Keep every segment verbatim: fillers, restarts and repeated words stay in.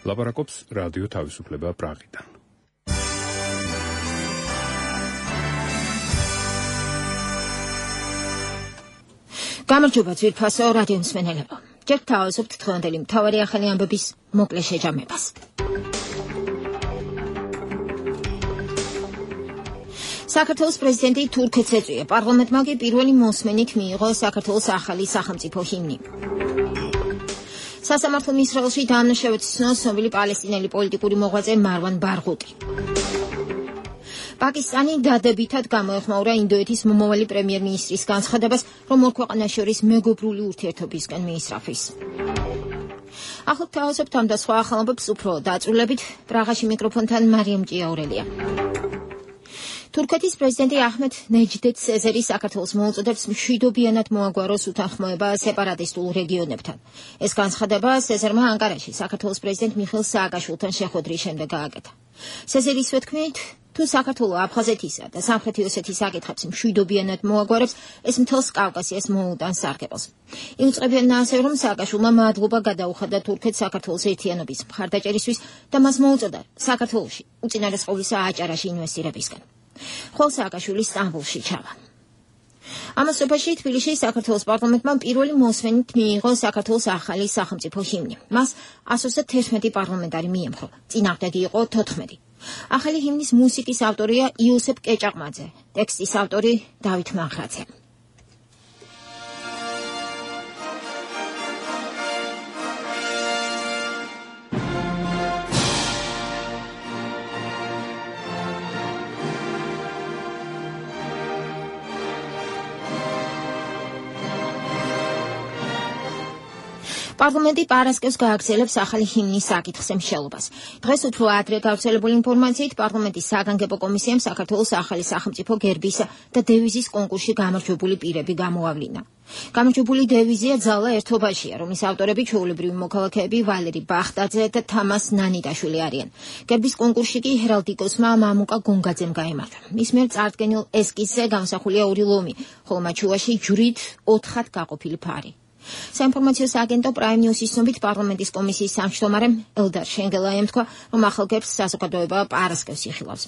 ლაპარაკობს რადიო თავისუფლება პრაღიდან. გამარჯობა ძვირფასო რადიო მსმენელებო. ჯერ თავისუფლ დღევანდელი მთავარი ახალი ამბების მოკლე შეჯამებას. საქართველოს პრეზიდენტი თურქეთს ეწვია. პარლამენტმა კი პირველი მოსმენით მიიღო საქართველოს ახალი სახელმწიფო ჰიმნი. სასამართლომ ისრაელში დაანაშაულებს ცნობილი პალესტინელი პოლიტიკური მოღვაწე მარვან ბარღუტი. პაკისტანი დადებითად გამოეხმაურა ინდოეთის მომავალი პრემიერ-მინისტრის განცხადებას, რომ ორ ქვეყანას შორის მეგობრული ურთიერთობისკენ მიისწრაფვის. ახლობთ თავისუფლ ამ და სხვა ახალობებს უფრო დაწვრილებით, პრაღაში მიკროფონთან მარიამ ჭიაურელია. თურქეთის პრეზიდენტი აჰმედ ნეჯდეთ სეზერი საქართველოს მოუწოდებს მშვიდობიანად მოაგვაროს უთანხმოება სეპარატისტულ რეგიონებთან. ეს განცხადება სეზერმა ანკარაში საქართველოს პრეზიდენტ მიხეილ სააკაშვილთან შეხვედრის შემდეგ გააკეთა. სეზერის თქმით, თუ საქართველო აფხაზეთისა და სამხრეთი ოსეთის საკითხებს მშვიდობიანად მოაგვარებს, ეს მთელს კავკასიას მოუტანს სარგებელს. იუწყებიან ასევე, რომ სააკაშვილმა მადლობა გადაუხადა თურქეთს საქართველოს ერთიანობის მხარდაჭერისთვის და მას მოუწოდა საქართველოში უწინარესყოვლისა აჭარაში ინვესტირებისკენ. ხოლო სააკაშვილი სტამბოლში ჩავა. ამასობაში თბილისში საქართველოს პარლამენტმა პირველი მოსმენით მიიღო საქართველოს ახალი სახელმწიფო ჰიმნი. მას ასოცე თერთმეტი პარლამენტარი მიემხრო. წინააღმდეგი იყო თოთხმეტი. ახალი ჰიმნის მუსიკის ავტორია იოსებ კეჭაყმაძე, ტექსტის ავტორი დავით მანხრაძე. პარლამენტი პარასკევს გააგრძელებს ახალი ჰიმნის საკითხზე მსჯელობას. დღეს უფრო ადრე გავრცელებული ინფორმაციით პარლამენტის საგანგებო კომისიამ საქართველოს ახალი სახელმწიფო გერბის და დევიზის კონკურსში გამარჯვებული პირები გამოავლინა. გამარჯვებული დევიზია ძალა ერთობაშია, რომლის ავტორები ჩვეულებრივი მოქალაქეები ვალერი ბახტაძე და თამას ნანიტაშვილი არიან. გერბის კონკურსში კი ჰერალდიკოსმა მამუკა გონგაძემ გაიმარჯვა. მის მიერ წარდგენილ ესკიზზე გამოსახულია ორი ლომი, ხოლო მათ შუაში ჯვრით ოთხად გაყოფილი ფარი. საინფორმაციო სააგენტო პრაიმ ნიუსის ცნობით პარლამენტის კომისიის სამშტომარემ ელდარ შენგელაიამ თქვა, რომ ახალ გერბს საზოგადოება პარასკევს იხილავს.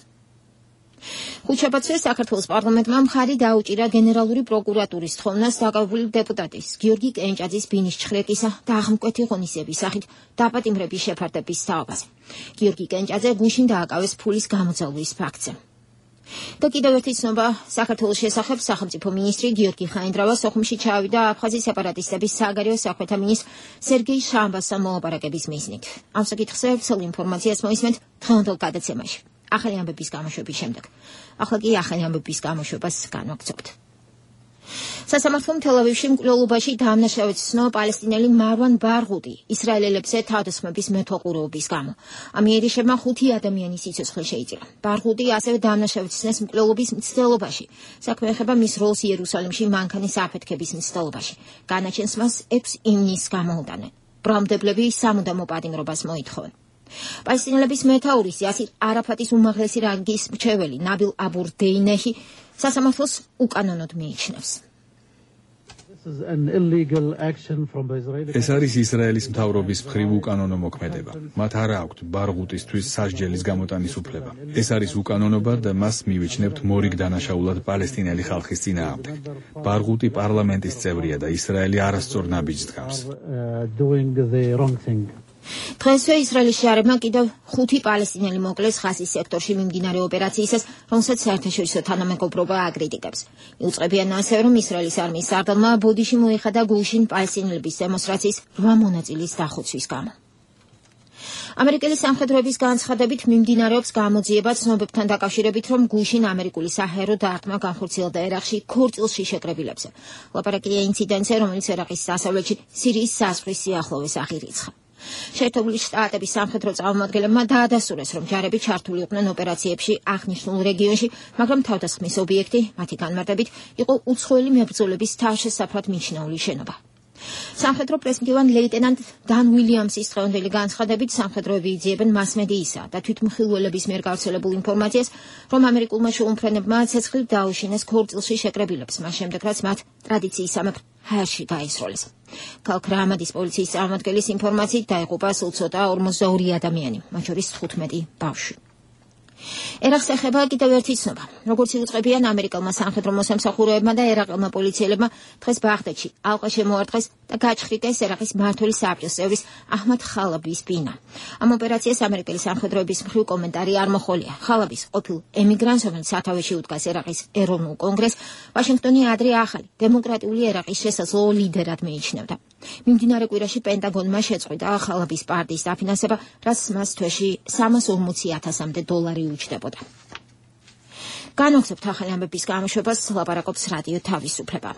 ხუთშაბათს საქართველოს პარლამენტმა მხარი დაუჭირა გენერალური პროკურატურის თხოვნას დაკავებული დეპუტატის გიორგი კენჭაძის ბინის ჩხრეკისა და აღმკვეთი ღონისძიების სახით დაპატიმრების შეფარდების თაობაზე. გიორგი კენჭაძე გუშინ დააკავეს ფულის გამოძალვის ფაქტზე. და კიდევ ერთი ცნობა საქართველოს შესახებ სახელმწიფო მინისტრი გიორგი ხაინდრავა სოხუმში ჩავიდა აფხაზის სეპარატისტების საგარეო საქმეთა მინისტრ სერგეი შამბასთან მოლაპარაკების მიზნით. ამ საკითხზე ვრცელ ინფორმაციას მოისმენთ დღევანდელ გადაცემაში. ახალი ამბების გამოშვების შემდეგ. ახლა კი ახალი ამბების გამოშვებას განვაგრძობთ. სასამართლომ თელ-ავივში მკვლელობაში დაანაშაულებს ცნო პალესტინელი მარვან ბარღუტი ისრაელელებზე თავდასხმების მეთვალყურეობის გამო. ამიერიშებმა ხუთი ადამიანის სიცოცხლე შეიწირა. ბარღუტი ასევე დაანაშაულებს მკვლელობის მცდელობაში. საქმე ეხება მის როლს იერუსალიმში მანქანის აფეთქების მცდელობაში. განაჩენს მას ექვს ივნისს გამოუტანენ. ბრალმდებლები სამუდამო პატიმრობას მოითხოვენ. პალესტინელების მეთაურის იასირ არაფატის უმაღლესი რანგის მრჩეველი ნაბილ აბურ დეინეჰი სასამართლოს უკანონოდ მიიჩნევს. ეს არის ისრაელის მთავრობის მხრივ უკანონო მოქმედება. მათ არ აქვთ ბარღუტისთვის სასჯელის გამოტანის უფლება. ეს არის უკანონობა და მას მივიჩნევთ მორიგ დანაშაულად პალესტინელი ხალხის წინააღმდეგ. ბარღუტი პარლამენტის წევრია და ისრაელი არასწორ ნაბიჯს დგამს. დღესვე ისრაელის შეარებმა კიდევ ხუთი პალესტინელი მოკლეს ხასის სექტორში მიმდინარე ოპერაციისას, რომელსაც საერთაშორისო თანამეგობრობა აკრიტიკებს. იუწყებიან ასევე, რომ ისრაელის არმიის სარდალმა ბოდიში მოიხადა გულშინ პალესტინელების დემონსტრაციის რვა მონაწილის დახოცვის გამო. ამერიკელი სამხედროების განცხადებით მიმდინარეობს გამოძიება ცნობებთან დაკავშირებით, რომ გულშინ ამერიკული საჰაერო დარტყმა განხორციელდა ერაყში ქორწილში შეკრებილებზე. ლაპარაკია ინციდენტზე, რომელიც ერაყის დასავლეთში სირიის საზღვრის სიახლოვეს აღირიცხა. შეერთებული შტატების სამხედრო წარმომადგენლებმა დაადასტურეს, რომ ჯარები ჩართული იყვნენ ოპერაციებში აღნიშნულ რეგიონში, მაგრამ თავდასხმის ობიექტი, მათი განმარტებით, იყო უცხოელი მებრძოლების თავშესაფრად მიჩნეული შენობა. სამხედრო პრესმდივან ლეიტენანტ დან უილიამსის დღევანდელი განცხადებით სამხედროები იძიებენ მასმედიისა და თვითმხილველების მიერ გავრცელებულ ინფორმაციას, რომ ამერიკულმა შეუმფრენებმა ცეცხლით დაუშინეს ქორწილში შეკრებილებს, მას შემდეგ რაც მათ ტრადიციისამებრ ჰაერში გაისროლეს. ქალქ რაამადის პოლიციის წარმომადგენლის ინფორმაციით დაიღუპა სულ ცოტა ორმოცდაორი ადამიანი, მათ შორის თხუთმეტი ბავშვი. ერაყს ეხება კიდევ ერთი ცნობა. როგორც იუწყებიან ამერიკელმა სამხედრო მოსამსახურეებმა და ერაყელმა პოლიციელებმა დღეს ბაღდადში ალყა შემოარტყეს და გაჩხრიტეს ერაყის მმართველი საბჭოს წევრის აჰმად ხალაბის ბინა. ამ ოპერაციას ამერიკელი სამხედროების მხრივ კომენტარი არ მოჰყოლია. ხალაბის ყოფილ ემიგრანტს, რომელიც სათავეში უდგას ერაყის ეროვნულ კონგრესს, ვაშინგტონი ადრე ახალი დემოკრატიული ერაყის შესაძლო ლიდერად მიიჩნევდა. მიმდინარე კვირაში პენტაგონმა შეწყვიტა ხალაბის პარტიის დაფინანსება, რაც მას თვეში სამას ორმოცი ათასამდე დოლარი უჯდებოდა. განვაგრძობთ ახალი ამბების გამოშვებას, ლაპარაკობს რადიო თავისუფლება.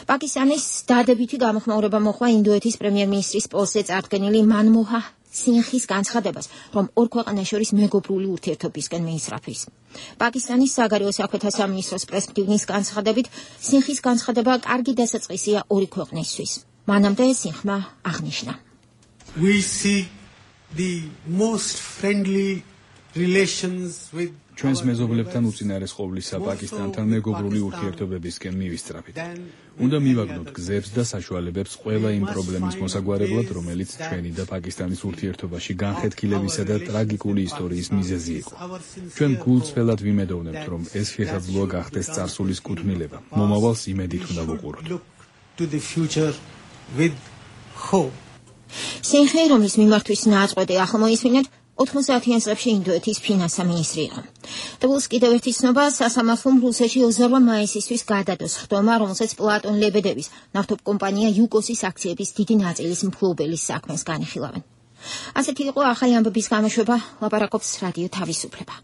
პაკისტანის დადებითი გამოხმაურება მოხდა ინდოეთის პრემიერ-მინისტრის პოსტზე წარდგენილი მანმოჰან სინხის განცხადებას, რომ ორ ქვეყანას შორის მეგობრული ურთიერთობისკენ მიისწრაფვის. პაკისტანის საგარეო საქმეთა სამინისტროს პრესმდივნის განცხადებით, სინხის განცხადება კარგი დასაწყისია ორი ქვეყნისთვის. მანამდე სინხმა აღნიშნა. We see the most friendly relations with ჩვენს მეზობლებთან უწინარეს ყოვლისა პაკისტანთან მეგობრული ურთიერთობებისკენ მივისწრაფით. უნდა მივაგნოთ გზებს და საშუალებებს ყველა იმ პრობლემის მოსაგვარებლად, რომელიც ჩვენი და პაკისტანის ურთიერთობაში განხეთქილებისა და ტრაგიკული ისტორიის მიზეზი იყო. ჩვენ გულწრფელად ვიმედოვნებთ, რომ ეს შესაძლოა გახდეს წარსულის კუთვნილება. მომავალს იმედით უნდა ვუყუროთ. სინხი, რომლის მიმართვის ნაწყვეტი ახლა მოისმინეთ, ოთხმოცდაათიან წლებში ინდოეთის ფინანსთა მინისტრი იყო. დაბულს კიდევ ერთი ცნობა, სასამართლომ რუსეთში ოცდაორ მაისისთვის გადადოს ხდომა, რომელსაც პლატონ ლებედევის ნავთობკომპანია იუკოსის აქციების დიდი ნაწილის მფლობელის საქმეს განიხილავენ. ასეთი იყო ახალი ამბების გამოშვება, ლაპარაკობს რადიო თავისუფლება.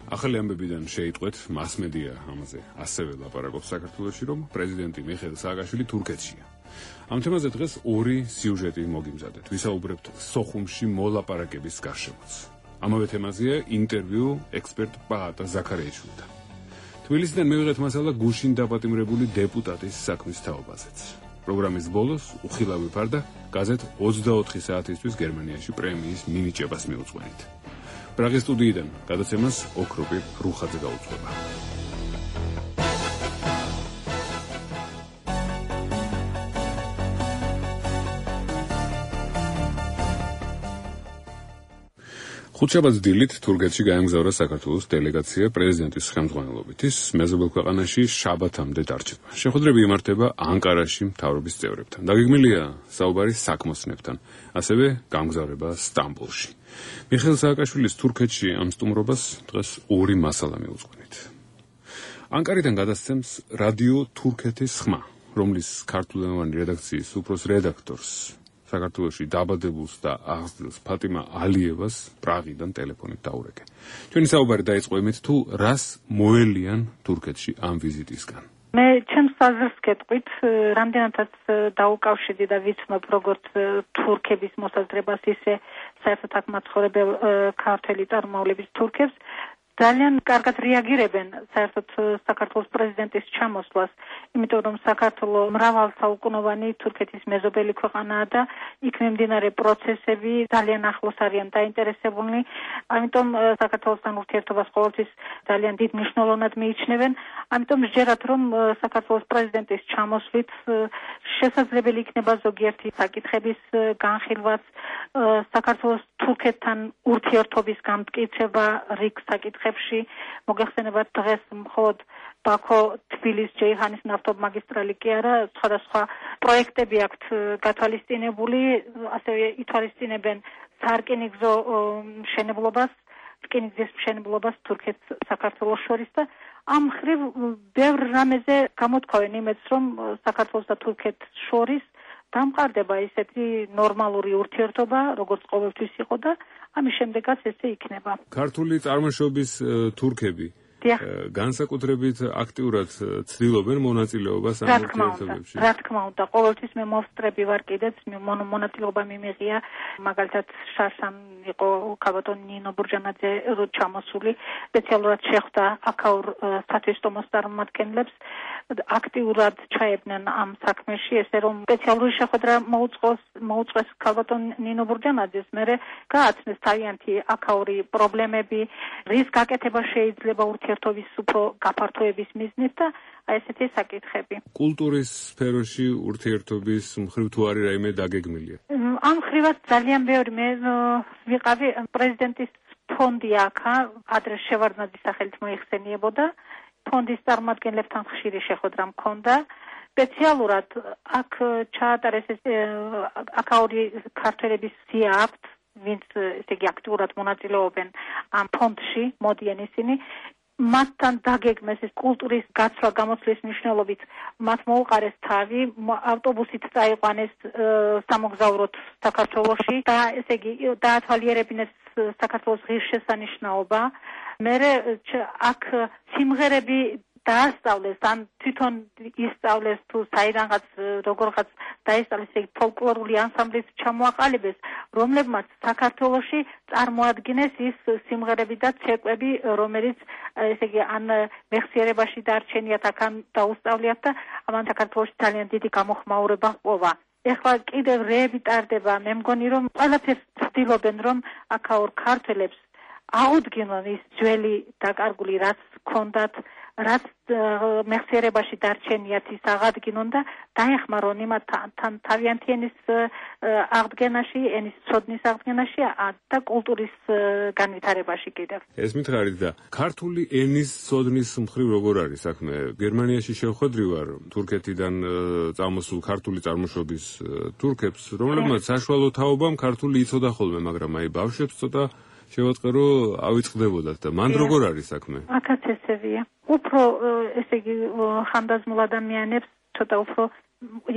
ახალი ამბებიდან შეიტყვეთ მასმედია ამაზე ასევე ლაპარაკობს საქართველოში, რომ პრეზიდენტი მიხეილ სააკაშვილი თურქეთშია. ამ თემაზე დღეს ორი სიუჟეტი მოგიმზადეთ. ვისაუბრებთ სოხუმში მოლაპარაკების გარშემოც. ამავე თემაზეა ინტერვიუ ექსპერტ პაატა ზაქარიაშვილთან. თბილისიდან მივიღეთ მასალა გუშინ დაპატიმრებული დეპუტატის საქმის თაობაზეც. პროგრამის ბოლოს უხილავი ფარდა გაზეთ ოცდაოთხი საათისთვის გერმანიაში პრემიის მინიჭებას მიუძღვენით. პრაღის სტუდიიდან გადაცემას ოქროპი რუხაძე გაუძღვება. ხუთშაბათს დილით თურქეთში გაემგზავრა საქართველოს დელეგაცია პრეზიდენტის ხელმძღვანელობით. ის მეზობელ ქვეყანაში შაბათამდე დარჩება. შეხვედრები იმართება ანკარაში მთავრობის წევრებთან. დაგეგმილია საუბარი საქმოსნებთან, ასევე გამგზავრება სტამბოლში. მიხეილ სააკაშვილის თურქეთში ამ სტუმრობას დღეს ორი მასალა მიუძღვენით. ანკარიდან გადასცემს რადიო თურქეთის ხმა, რომლის ქართულენოვანი რედაქციის უფროს რედაქტორს საქართველოში დაბადებულს და აღზრდილს ფატიმა ალიევას პრაღიდან ტელეფონით დაურეკე. ჩვენი საუბარი დაიწყო იმით, თუ რას მოელიან თურქეთში ამ ვიზიტისგან. მე ჩემს აზრს გეტყვით, რამდენადაც დაუკავშირდი და ვიცნობ როგორც თურქების მოსაზრებას, ისე საერთოდ აქ მაცხოვრებელ ქართველი წარმომავლების თურქებს, ძალიან კარგად რეაგირებენ საერთოდ საქართველოს პრეზიდენტის ჩამოსვლას, იმიტომ რომ საქართველო მრავალსაუკუნოვანი თურქეთის მეზობელი ქვეყანაა და იქ მიმდინარე პროცესები ძალიან ახლოს არიან დაინტერესებულნი, ამიტომ საქართველოსთან ურთიერთობას ყოველთვის ძალიან დიდ მნიშვნელოვნად მიიჩნევენ, ამიტომ სჯერათ რომ საქართველოს პრეზიდენტის ჩამოსვლით შესაძლებელი იქნება ზოგიერთი საკითხების განხილვაც, საქართველოს თურქეთთან ურთიერთობის გამტკიცება რიგ საკითხებში. მოგეხსენებათ დღეს მხოლოდ ბაქო-თბილის-ჯეიჰანის ნავთობმაგისტრალი კი არა, სხვადასხვა პროექტები აქვთ გათვალისწინებული, ასევე ითვალისწინებენ სარკინიგზო მშენებლობას, რკინიგზის მშენებლობას თურქეთს საქართველოს შორის და ამ მხრივ ბევრ რამეზე გამოთქვავენ იმედს, რომ საქართველოს და თურქეთს შორის დამყარდება ისეთი ნორმალური ურთიერთობა, როგორც ყოველთვის იყო და ამის შემდეგაც ესე იქნება. ქართული წარმოშობის თურქები განსაკუთრებით აქტიურად ცდილობენ მონაწილეობას ამ ურთიერთობებში. რა თქმა უნდა, ყოველთვის მე მოვსწრები ვარ კიდეც, მონაწილეობა მიმიღია, მაგალითად შარშან იყო ქალბატონ ნინო ბურჯანაძე ჩამოსული, სპეციალურად შეხვდა აქაურ სათვისტომოს წარმომადგენლებს, აქტიურად ჩაებდნენ ამ საქმეში, ესე რომ სპეციალური შეხვედრა მოუწყოს მოუწყეს ქალბატონ ნინო ბურჯანაძეს, მერე გააცნეს თავიანთი აქაური პრობლემები, რის გაკეთება შეიძლება ურთიერთობა ურთიერთობის უფრო გაფართოების მიზნით და აი ესეთი საკითხები. კულტურის სფეროში ურთიერთობის მხრივ თუ არის რაიმე დაგეგმილია? ამ მხრივაც ძალიან ბევრი მე ვიყავი პრეზიდენტის ფონდი აქა, ადრე შევარდნაძის სახელით მოიხსენიებოდა. ფონდის წარმომადგენლებთან ხშირი შეხვედრა მქონდა. სპეციალურად აქ ჩაატარეს აქაური ქართველების სია აქვთ, ვინც ესე იგი აქტიურად მონაწილეობენ ამ ფონდში, მოდიან ისინი. მათთან დაგეგმეს ეს კულტურის გაცვლა გამოცვლის მნიშვნელობით, მათ მოუყარეს თავი, ავტობუსით წაიყვანეს სამოგზაუროდ საქართველოში და ესე იგი დაათვალიერებინეს საქართველოს ღირსშესანიშნაობა. მერე აქ სიმღერები დაასწავლეს, ან თვითონ ისწავლეს თუ საიდანღაც როგორღაც დაესწავლეს ეგ ფოლკლორული ანსამბლის ჩამოაყალიბეს, რომლებმაც საქართველოში წარმოადგენეს ის სიმღერები და ცეკვები, რომელიც ესე იგი ან მეხსიერებაში დარჩენიათ, აქ დაუსწავლიათ და ამან საქართველოში ძალიან დიდი გამოხმაურება ჰპოვა. ეხლა კიდევ რეები ტარდება, მე მგონი რომ ყველაფერს ცდილობენ რომ აქაურ ქართველებს აუდგინონ ის ძველი დაკარგული რაც ჰქონდათ, რაც მეხსიერებაში დარჩენიათ ის აღადგინონ და დაეხმარონ იმათთან თავიანთი ენის აღდგენაში, ენის ცოდნის აღდგენაში და კულტურის განვითარებაში კიდევ. ეს მითხარით და ქართული ენის ცოდნის მხრივ როგორ არის საქმე? გერმანიაში შევხვედრი ვარ თურქეთიდან წამოსულ ქართული წარმოშობის თურქებს, რომლებმაც საშუალო თაობამ ქართული იცოდა ხოლმე, მაგრამ აი ბავშვებს ცოტა შევაწყე რომ ავიწყდებოდათ და მან როგორ არის საქმე? აქაც ესევია. უფრო ესე იგი ხანდაზმულ ადამიანებს ცოტა უფრო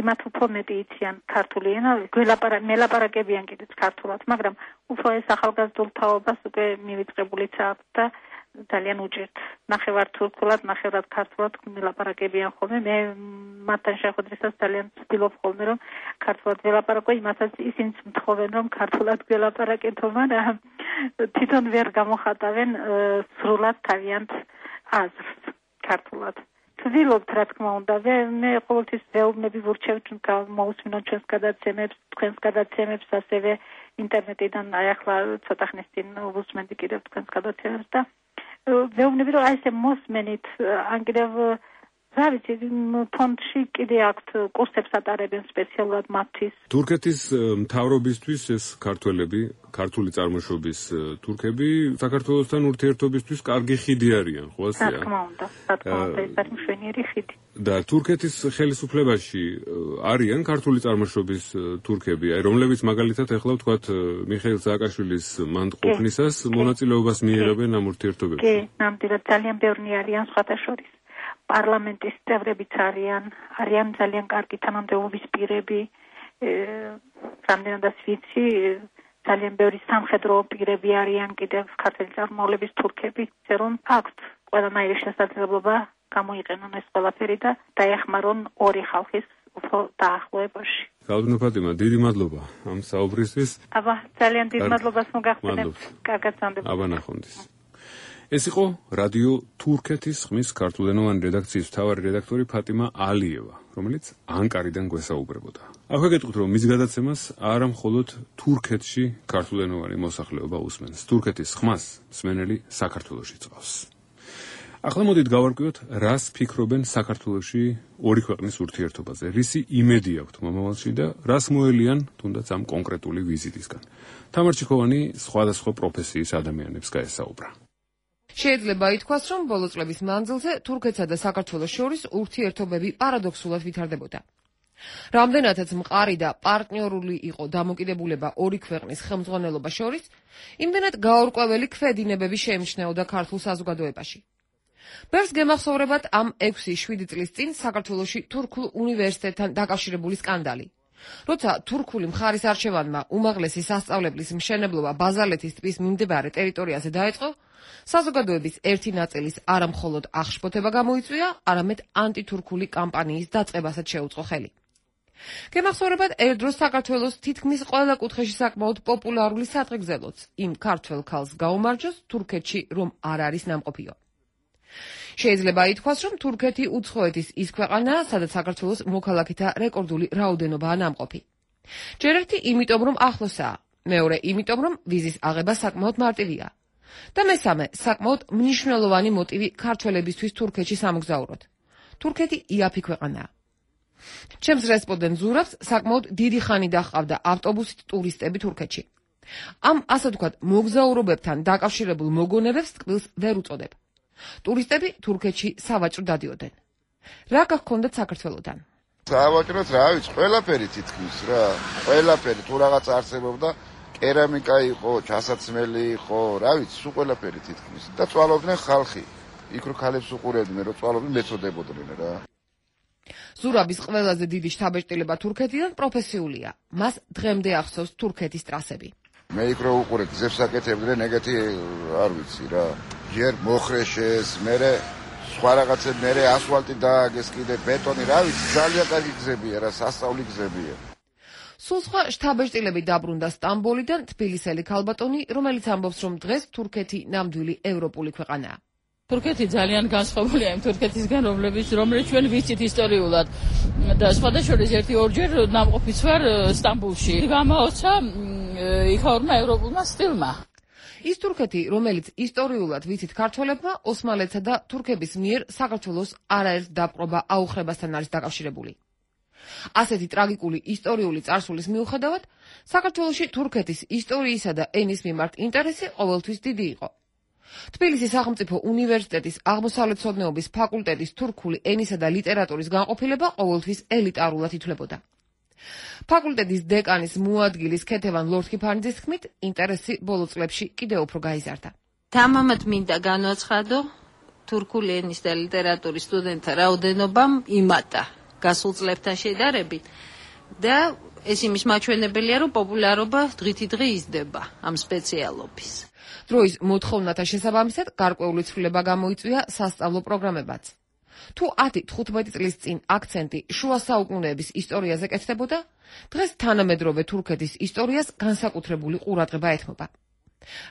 იმათ უფრო მეტი იციან ქართული ენა, მელაპარაკებიან კიდეც ქართულად, მაგრამ უფრო ეს ახალგაზრდულ თაობას უკვე მივიწყებულიც აქვს და ძალიან უჭირთ. ნახევარ თურქულად, ნახევრად ქართულად მელაპარაკებიან ხოლმე. მე მათთან შეხვედრისას ძალიან ვცდილობ ხოლმე რომ ქართულად ველაპარაკო, იმასაც ისინიც მთხოვენ რომ ქართულად ველაპარაკეთო, მაგრამ თვითონ ვერ გამოხატავენ სრულად თავიანთ აზრს ქართულად. ვცდილობთ რა თქმა უნდა, მე ყოველთვის ვეუბნები ვურჩევ მოусმინოთ ჩვენს გადაცემებს, თქვენს გადაცემებს, ასევე ინტერნეტიდან აი ახლა ცოტა ხნის წინ ვუსმენდი კიდევ თქვენს გადაცემებს და ვეუბნები რომ აი ესე მოსმენით, ან კიდევ რა ვიცი, ფონდში კიდე აქვთ კურსებს ატარებენ სპეციალურად მათთვის. თურქეთის მთავრობისთვის ეს ქართველები, ქართული წარმოშობის თურქები საქართველოსთან ურთიერთობისთვის კარგი ხიდი არიან, ხო ასეა? რა თქმა უნდა, რა თქმა უნდა, ეს არის მშვენიერი ხიდი. და თურქეთის ხელისუფლებაში არიან ქართული წარმოშობის თურქები, აი რომლებიც მაგალითად ეხლა ვთქვათ მიხეილ სააკაშვილის მანდ ყოფნისას მონაწილეობას მიიღებენ ამ ურთიერთობებში. კი, ნამდვილად ძალიან ბევრი არიან სხვათა შორის. პარლამენტის წევრებიც არიან, არიან ძალიან კარგი თანამდებობის პირები, რამდენადაც ვიცი, ძალიან ბევრი სამხედრო პირები არიან კიდევ ქართული წარმომავლობის თურქები, რომ აქვთ ყველანაირი შესაძლებლობა გამოიყენონ ეს ყველაფერი და დაეხმარონ ორი ხალხის უფრო დაახლოებაში. გალბინო ფატიმა, დიდი მადლობა ამ საუბრისთვის. აბა, ძალიან დიდი მადლობას მოგახსენებთ. კარგად სამდებ. აბა ნახვამდის. ეს იყო რადიო თურქეთის ხმის ქართულენოვანი რედაქციის მთავარი რედაქტორი ფატიმა ალიევა, რომელიც ანკარიდან გვესაუბრებოდა. აქვე გეტყვით, რომ მის გადაცემას არა მხოლოდ თურქეთში ქართულენოვანი მოსახლეობა უსმენს. თურქეთის ხმას მსმენელი საქართველოში წავს. ახლა მოდით გავარკვიოთ, რას ფიქრობენ საქართველოში ორი ქვეყნის ურთიერთობაზე, რისი იმედი აქვთ მომავალში და რას მოელიან თუნდაც ამ კონკრეტული ვიზიტისგან. თამარ ჩიქოვანი სხვადასხვა პროფესიის ადამიანებს გაესაუბრა. შეიძლება ითქვას, რომ ბოლო წლების მანძილზე თურქეთსა და საქართველოს შორის ურთიერთობები პარადოქსულად ვითარდებოდა. რამდენადაც მყარი და პარტნიორული იყო დამოკიდებულება ორი ქვეყნის ხელმძღვანელობა შორის, იმდენად გაურკვეველი ქვედინებები შეიმჩნეოდა ქართულ საზოგადოებაში. ბევრს გემახსოვრებათ ამ ექვსი შვიდი წლის წინ საქართველოში თურქულ უნივერსიტეტთან დაკავშირებული სკანდალი. როცა თურქული მხარის არჩევანმა უმაღლესი სასწავლებლის მშენებლობა ბაზალეთის ტბის მიმდებარე ტერიტორიაზე დაიწყო, საზოგადოების ერთი ნაწილის არა მხოლოდ აღშფოთება გამოიწვია, არამედ ანტითურქული კამპანიის დაწყებასაც შეუწყო ხელი. გემახსოვრებათ ერთდროს საქართველოს თითქმის ყველა კუთხეში საკმაოდ პოპულარული საწყეგზელოც იმ ქართველ ქალს გაუმარჯოს თურქეთში რომ არ არის ნამყოფიო. შეიძლება ითქვას, რომ თურქეთი უცხოეთის ის ქვეყანაა, სადაც საქართველოს მოქალაქეთა რეკორდული რაოდენობაა ნამყოფი. ჯერ ერთი იმიტომ, რომ ახლოსაა, მეორე იმიტომ, რომ ვიზის აღება საკმაოდ მარტივია. და მესამე, საკმაოდ მნიშვნელოვანი მოტივი ქართველებისთვის თურქეთში სამოგზაუროდ. თურქეთი იაფი ქვეყანაა. ჩემს რესპონდენტ ზურაბს საკმაოდ დიდი ხანი დაჰყავდა ავტობუსით ტურისტები თურქეთში. ამ ასე ვთქვათ მოგზაურობებთან დაკავშირებულ მოგონებებს ტკბილს ვერ უწოდებ. ტურისტები თურქეთში სავაჭრო დადიოდნენ. რა გახქონდათ საქართველოდან? სავაჭროთ რა ვიცი, ყველაფერი თითქმის რა, ყველაფერი თუ რაღაც არსებობდა, კერამიკა იყო, ჩასაცმელი იყო, რა ვიცი, სულ ყველაფერი თითქმის და წვალობდნენ ხალხი. იქ რო ქალებს უყურებდნენ, რო წვალობდნენ, მეწოდებოდნენ რა. ზურაბის ყველაზე დიდი შთაბეჭდილება თურქეთიდან პროფესიულია. მას დღემდე ახსოვს თურქეთის ტრასები. მე იქ რო უყურებ გზებს აკეთებდნენ, ეგეთი არ ვიცი რა. ჯერ მოხრეშეს, მერე სხვა რაღაცები, მერე ასფალტი დააგეს, კიდე ბეტონი, რა ვიცი, ძალიან კარგი გზებია რა, სასწაული გზებია. სულ სხვა შთაბეჭდილები დაბრუნდა სტამბოლიდან თბილისელი ქალბატონი, რომელიც ამბობს, რომ დღეს თურქეთი ნამდვილი ევროპული ქვეყანაა. თურქეთი ძალიან განსხვავებულია იმ თურქეთისგან, რომლებიც რომელიც ჩვენ ვიცით ისტორიულად და სხვადასხვა ერთი ორჯერ ნამყოფიც ვარ სტამბოლში. გამაოცა იქაურმა ევროპულმა სტილმა. ის თურქეთი, რომელიც ისტორიულად ვიცით ქართველებმა, ოსმალეთსა და თურქების მიერ საქართველოს არაერთ დაპყრობა აუხრებასთან არის დაკავშირებული. ასეთი ტრაგიკული ისტორიული წარსულის მიუხედავად, საქართველოში თურქეთის ისტორიისა და ენის მიმართ ინტერესი ყოველთვის დიდი იყო. თბილისის სახელმწიფო უნივერსიტეტის აღმოსავლეთმცოდნეობის ფაკულტეტის თურქული ენისა და ლიტერატურის განყოფილება ყოველთვის ელიტარულად ითვლებოდა. ფაკულტეტის დეკანის მოადგილის ქეთევან ლორთქიფანიძის თქმით, ინტერესი ბოლო წლებში კიდევ უფრო გაიზარდა. თამამად მინდა განვაცხადო, თურქული ენის და ლიტერატურის სტუდენტთა რაოდენობამ იმატა გასულ წლებთან შედარებით და ეს იმის მაჩვენებელია, რომ პოპულარობა დღითიდღე იზრდება ამ სპეციალობის. დროის მოთხოვნათა შესაბამისად გარკვეული ცვლილება გამოიწვია სასწავლო პროგრამებაც. თუ ათი თხუთმეტი წლის წინ აქცენტი შუა საუკუნეების ისტორიაზე კეთდებოდა, დღეს თანამედროვე თურქეთის ისტორიას განსაკუთრებული ყურადღება ეთმობა.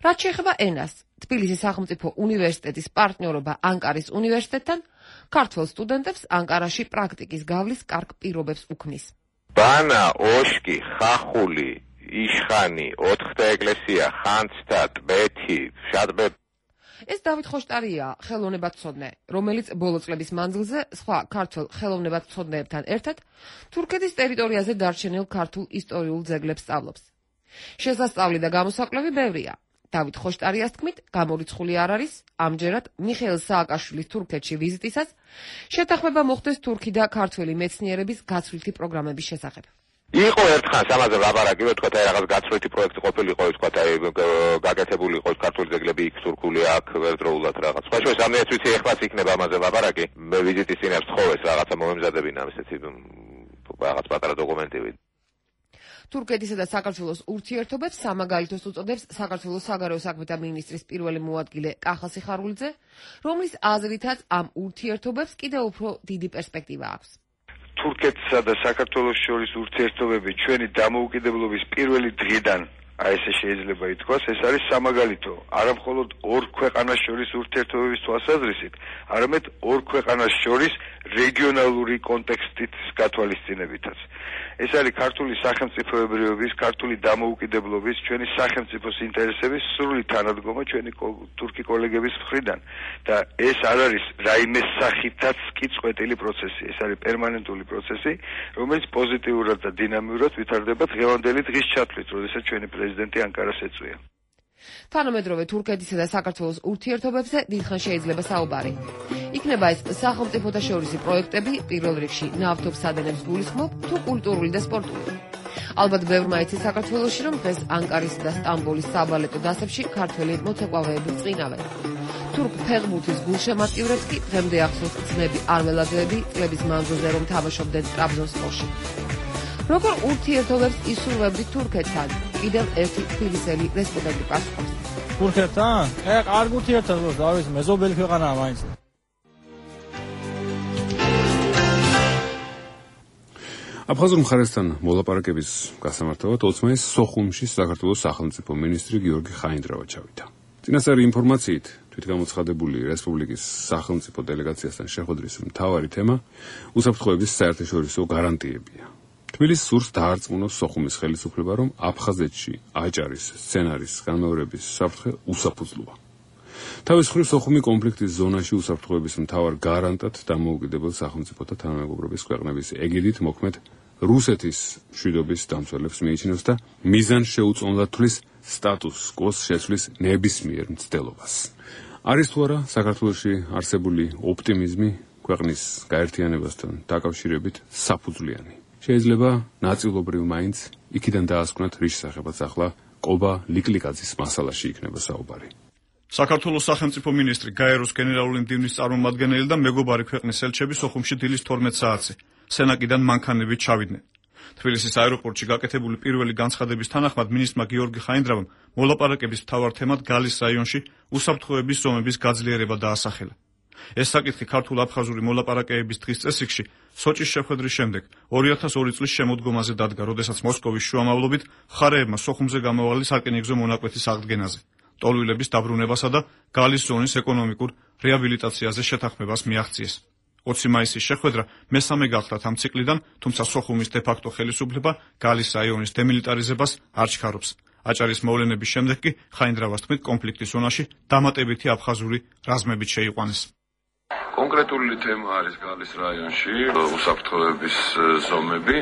რაც შეეხება ენას, თბილისის სახელმწიფო უნივერსიტეტის პარტნიორობა ანკარის უნივერსიტეტთან ქართველ სტუდენტებს ანკარაში პრაქტიკის გავლის კარგ პირობებს უქმნის. ბანა, ოშკი, ხახული, იშხანი, ოთხთა ეკლესია, ხანძთა, ტბეთი, შადბე. ეს დავით ხოშტარია, ხელოვნებათმცოდნე, რომელიც ბოლო წლების მანძილზე სხვა ქართველ ხელოვნებათმცოდნეებთან ერთად თურქეთის ტერიტორიაზე დარჩენილ ქართულ ისტორიულ ძეგლებს სწავლობს. შესასწავლი და გამოსაკვლევი ბევრია. დავით ხოშტარიას თქმით, გამორიცხული არ არის, ამჯერად მიხეილ სააკაშვილის თურქეთში ვიზიტისას შეთანხმება მოხდეს თურქი და ქართველი მეცნიერების გაცვლითი პროგრამების შესახებ. იყო ერთხანს ამაზე ლაპარაკი, რომ თქვა, აი რაღაც გაცვლითი პროექტი ყოფილიყო, თქვა, აი გაკეთებული იყო ქართული ძეგლები იქ თურქული აქ ერთდროულად რაღაც. სხვა შორის ამეც ვიცი, ეხლაც იქნება ამაზე ლაპარაკი. მე ვიზიტის წინ ახლოვეს რაღაცა მომემზადებინა ესეთი რაღაც პატარა დოკუმენტები. თურქეთისა და საქართველოს ურთიერთობებს სამაგალითოს უწოდებს საქართველოს საგარეო საქმეთა მინისტრის პირველი მოადგილე კახა სიხარულიძე, რომლის აზრითაც ამ ურთიერთობებს კიდევ უფრო დიდი პერსპექტივა აქვს. თურქეთსა და საქართველოს შორის ურთიერთობები ჩვენი დამოუკიდებლობის პირველი დღიდან, აი ესე შეიძლება ითქვას, ეს არის სამაგალითო. არა მხოლოდ ორ ქვეყანას შორის ურთიერთობების თვალსაზრისით, არამედ ორ ქვეყანას შორის რეგიონალური კონტექსტით გათვალისწინებითაც. ეს არის ქართული სახელმწიფოებრიობის, ქართული დამოუკიდებლობის, ჩვენი სახელმწიფოს ინტერესების სრული თანადგომა ჩვენი თურქი კოლეგების მხრიდან და ეს არ არის რაიმე სახითაც კი წყვეტილი პროცესი, ეს არის პერმანენტული პროცესი, რომელიც პოზიტიურად და დინამიურად ვითარდება დღევანდელი დღის ჩათვლით, როდესაც ჩვენი პრეზიდენტი ანკარას ეწვია. თანამედროვე თურქეთისა და საქართველოს ურთიერთობებზე დიდხანს შეიძლება საუბარი. იქნება ეს სახელმწიფოთა შორისი პროექტები, პირველ რიგში ნავთობსადენებს გულისხმობ, თუ კულტურული და სპორტული. ალბათ ბევრმა იცის საქართველოში, რომ დღეს ანკარის და სტამბოლის საბალეტო დასებში ქართველი მოცეკვავეები წინავენ. თურქ ფეხბურთის გულშემატკივრებს კი დღემდე ახსოვს ძმები არმელაძეები წლების მანძილზე რომ თამაშობდნენ ტრაბზონსპორში. როგორ ურთიერთობებს ისურვებდით თურქეთთან? კიდევ ერთი თბილისელი რესპონდენტი პასუხობს. თურქეთთან? ე, კარგი ურთიერთობა, დავით, მეზობელი ქვეყანაა მაინც. აფხაზურ მხარესთან მოლაპარაკების გასამართავად ოცმაის სოხუმში საქართველოს სახელმწიფო მინისტრი გიორგი ხაინდრავა ჩავიდა. წინასწარი ინფორმაციით თვითგამოცხადებული რესპუბლიკის სახელმწიფო დელეგაციასთან შეხვედრის მთავარი თემა უსაფრთხოების საერთაშორისო გარანტიებია. თბილისს სურს დაარწმუნოს სოხუმის ხელისუფლება, რომ აფხაზეთში აჭარის სცენარის განმეორების საფრთხე უსაფუძვლოა. თავის მხრივ სოხუმი კონფლიქტის ზონაში უსაფრთხოების მთავარ გარანტად დამოუკიდებელ სახელმწიფოთა თანამეგობრობის ქვეყნების ეგიდით მოქმედ რუსეთის მშვიდობის დამცველებს მიიჩნევს და მიზანს შეუწმუნდათ თვლის სტატუს კოს შეცვლის ნებისმიერ მცდელობას. არის თუ არა საქართველოში არსებული ოპტიმიზმი ქვეყნის გაერთიანებასთან დაკავშირებით საფუძვლიანი. შეიძლება ნაწილობრივ მაინც იქიდან დაასკვნათ რის შესახებაც ახლა კობა ლიკლიკაძის მასალაში იქნება საუბარი. საქართველოს სახელმწიფო მინისტრი გაეროს გენერალური მდივნის წარმომადგენელი და მეგობარი ქვეყნის ელჩები სოხუმში დილის თორმეტ საათზე სენაკიდან მანქანებით ჩავიდნენ. თბილისის აეროპორტში გაკეთებული პირველი განცხადების თანახმად მინისტრმა გიორგი ხაინდრავამ მოლაპარაკების მთავარ თემად გალის რაიონში უსაფრთხოების ზომების გაძლიერება დაასახელა. ეს საკითხი ქართულ-აფხაზური მოლაპარაკებების დღის წესრიგში სოჭის შეხვედრის შემდეგ ორი ათას ორი წლის შემოდგომაზე დადგა, როდესაც მოსკოვის შუამავლობით მხარეებმა სოხუმზე გამავალი სარკინიგზო მონაკვეთის აღდგენაზე, ტოლვილების დაბრუნებასა და გალის ზონის ეკონომიკურ რეაბილიტაციაზე შეთანხმებას მიაღწიეს. ოცი მაისის შეხვედრა მესამე გახლავთ ამ ციკლიდან, თუმცა სოხუმის დე-ფაქტო ხელისუფლება გალის რაიონის დემილიტარიზებას არ ჩქარობს. აჭარის მოვლენების შემდეგ კი ხაინდრავას თქმით კონფლიქტის ზონაში დამატებითი აფხაზური რაზმებით შეიყვანეს. კონკრეტული თემა არის გალის რაიონში უსაფრთხოების ზომები,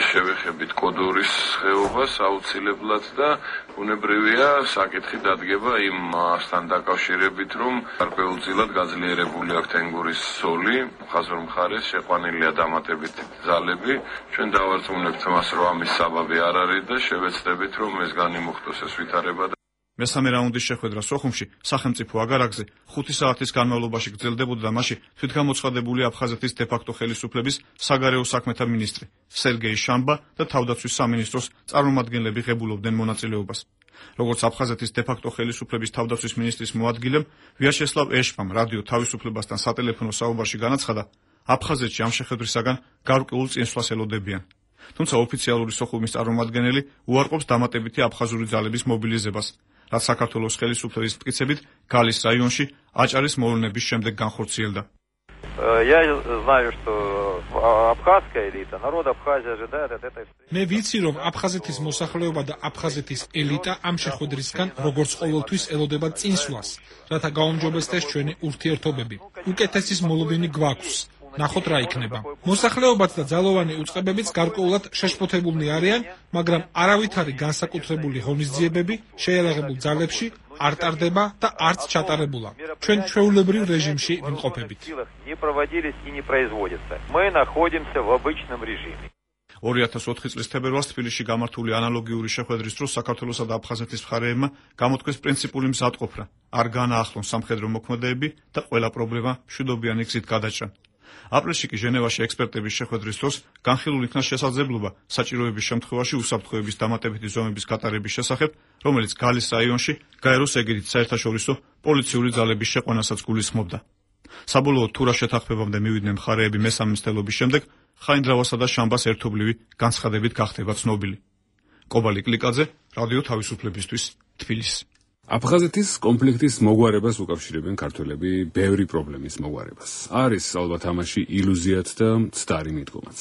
შევეხებით კოდორის ხეობას აუცილებლად და უნებრივია საკითხი დადგება იმასთან დაკავშირებით, რომ გარკვეულწილად გაძლიერებული აქვს თენგურის ზოლი, ხაზურ მხარეს შეყვანილია დამატებითი ძალები. ჩვენ დავარწმუნებთ მას, რომ ამის საბაბი არ არის და შევეცდებით, რომ ეს განიმუხტოს ეს ვითარება. მესამე რაუნდის შეხვედრა სოხუმში სახელმწიფო აგარაკზე ხუთი საათის განმავლობაში გრძელდებოდა და მასში თვითგამოცხადებული აფხაზეთის დე-ფაქტო ხელისუფლების საგარეო საქმეთა მინისტრი სერგეი შამბა და თავდაცვის სამინისტროს წარმომადგენლები ღებულობდნენ მონაწილეობას. როგორც აფხაზეთის დე-ფაქტო ხელისუფლების თავდაცვის მინისტრის მოადგილემ ვიაჩესლავ ეშპამ რადიო თავისუფლებასთან სატელეფონო საუბარში განაცხადა, აფხაზეთში ამ შეხვედრისაგან გარკვეულ წინსვლას ელოდებიან. თუმცა ოფიციალური სოხუმის წარმომადგენელი უარყოფს დამატებითი აფხაზური ძალების მობილიზებას, რაც საქართველოს ხელისუფლების მტკიცებით გალის რაიონში აჭარის მოვლენების შემდეგ განხორციელდა. მე ვიცი, რომ აფხაზეთის მოსახლეობა და აფხაზეთის ელიტა ამ შეხვედრისგან როგორც ყოველთვის ელოდება წინსვლას, რათა გაუმჯობესდეს ჩვენი ურთიერთობები. უკეთესის მოლოდინი გვაქვს. ნახოთ რა იქნება. მოსახლეობაც და ძალოვანი უწყებებიც გარკვეულად შეშფოთებულნი არიან, მაგრამ არავითარი განსაკუთრებული ღონისძიებები შეიარაღებულ ძალებში არ ტარდება და არც ჩატარებულა. ჩვენ ჩვეულებრივ რეჟიმში ვიმყოფებით. ორი ათას ოთხი წლის თებერვალს თბილისში გამართული ანალოგიური შეხვედრის დროს საქართველოსა და აფხაზეთის მხარეებმა გამოთქვეს პრინციპული მზადყოფნა, არ განაახლონ სამხედრო მოქმედებები და ყველა პრობლემა მშვიდობიანი გზით გადაჭრან. აპრილში კი ჟენევაში ექსპერტების შეხვედრის დროს განხილულ იქნა შესაძლებლობა საჭიროების შემთხვევაში უსაფრთხოების დამატებითი ზომების გატარების შესახებ, რომელიც გალის რაიონში გაეროს ეგიდით საერთაშორისო პოლიციური ძალების შეყვანასაც გულისხმობდა. საბოლოოდ თუ რა შეთანხმებამდე მივიდნენ მხარეები მესამე მცდელობის შემდეგ, ხაინდრავასა და შამბას ერთობლივი განცხადებით გახდება ცნობილი. კობა ლიკლიკაძე, რადიო თავისუფლებისთვის, თბილისი. აფხაზეთის კონფლიქტის მოგვარებას უკავშირებენ ქართველები ბევრი პრობლემის მოგვარებას. არის ალბათ ამაში ილუზიაც და მცდარი მიდგომაც.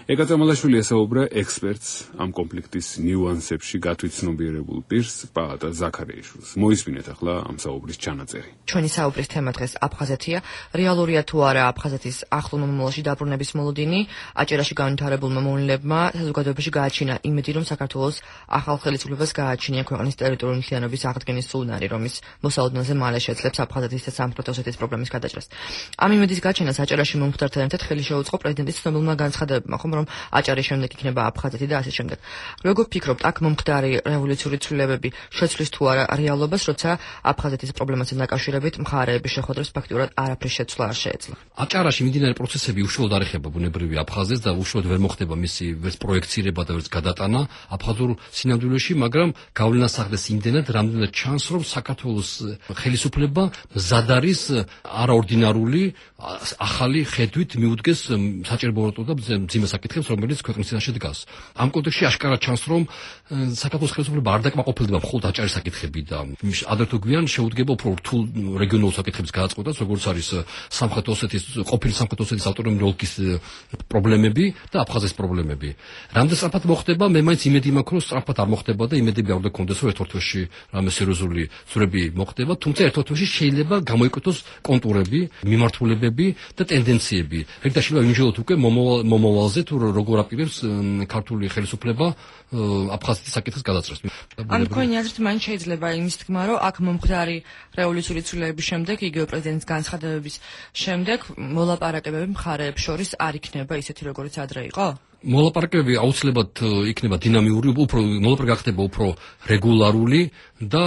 ეკა წამალაშვილი ესაუბრა ექსპერტს ამ კონფლიქტის ნიუანსებში გათვითცნობიერებულ პირს პაატა ზაქარიაშვილს. მოისმინეთ ახლა ამ საუბრის ჩანაწერი. ჩვენი საუბრის თემა დღეს აფხაზეთია. რეალურია თუ არა აფხაზეთის ახლო მომავალში დაბრუნების მოლოდინი? აჭარაში განვითარებულმა მოვლენებმა საზოგადოებაში გააჩინა იმედი, რომ საქართველოს ახალ ხელისუფლებას გააჩნია ქვეყნის ტერიტორიული მთლიანობის აღდგენის სუნარი, რომის მოსალოდნელზე მალე შეძლებს აფხაზეთის და სამხრეთ ოსეთის პრობლემის გადაჭრას. ამ იმედის გაჩენას აჭარაში მომხდართან ერთად ხელი შეუწყო პრეზიდენტის ცნობილმა განცხადებებმა, ხომ რომ აჭარის შემდეგ იქნება აფხაზეთი და ასე შემდეგ. როგორ ფიქრობთ, აქ მომხდარი რევოლუციური ცვლილებები შეცვლის თუ არა რეალობას, როცა აფხაზეთის პრობლემასთან დაკავშირებით მხარეების შეხვედრას ფაქტურად არაფრის შეცვლა არ შეეძლო? აჭარაში მიმდინარე პროცესები უშუალოდ არ ეხება ბუნებრივი აფხაზეთს და უშუალოდ ვერ მოხდება მისი ვერც პროექცირება და ვერც გადატანა აფხაზურ სინამდვილეში, მაგრამ გავლენას ახდენს იმდენად, რამდენად ჩანს, რომ საქართველოს ხელისუფლება მზად არის არაორდინარული ახალი ხედვით მიუდგეს საჭიროებათა და მძიმე საკითხებს საკითხებს, რომელიც ქვეყნის წინაშე დგას. ამ კონტექსტში აშკარად ჩანს, რომ საქართველოს ხელისუფლება არ დაკმაყოფილდება მხოლოდ აჭარის საკითხები და ადრე თუ გვიან შეუდგება უფრო რთულ რეგიონულ საკითხებს გააწყვეტას, როგორც არის სამხრეთ ოსეთის, ყოფილი სამხრეთ ოსეთის ავტონომიური ოლქის პრობლემები და აფხაზეთის პრობლემები. რამდენ სწრაფად მოხდება, მე მაინც იმედი მაქვს, რომ სწრაფად არ მოხდება და იმედები არ უნდა გქონდეს, რომ ერთ-ერთ თვეში რამე სერიოზული ცვლილება მოხდება, თუმცა ერთ-ერთ თვეში შეიძლება გამოიკეთოს კონტურები, მიმართულებები და ტენდენციები. რეგდაში ვიმჟელოთ უკვე მომავალზე თუ როგორ აპირებს ქართული ხელისუფლება აფხაზეთის საკითხის გადაწყვეტას. ან თქვენი აზრით მაინც შეიძლება იმის თქმა, რომ აქ მომხდარი რევოლუციური ცვლილებების შემდეგ, იგივე პრეზიდენტის განცხადებების შემდეგ მოლაპარაკებები მხარეებს შორის არ იქნება ისეთი, როგორც ადრე იყო? მოლაპარაკებები აუცილებლად იქნება დინამიური, უფრო მოლაპარაკება გახდება უფრო რეგულარული და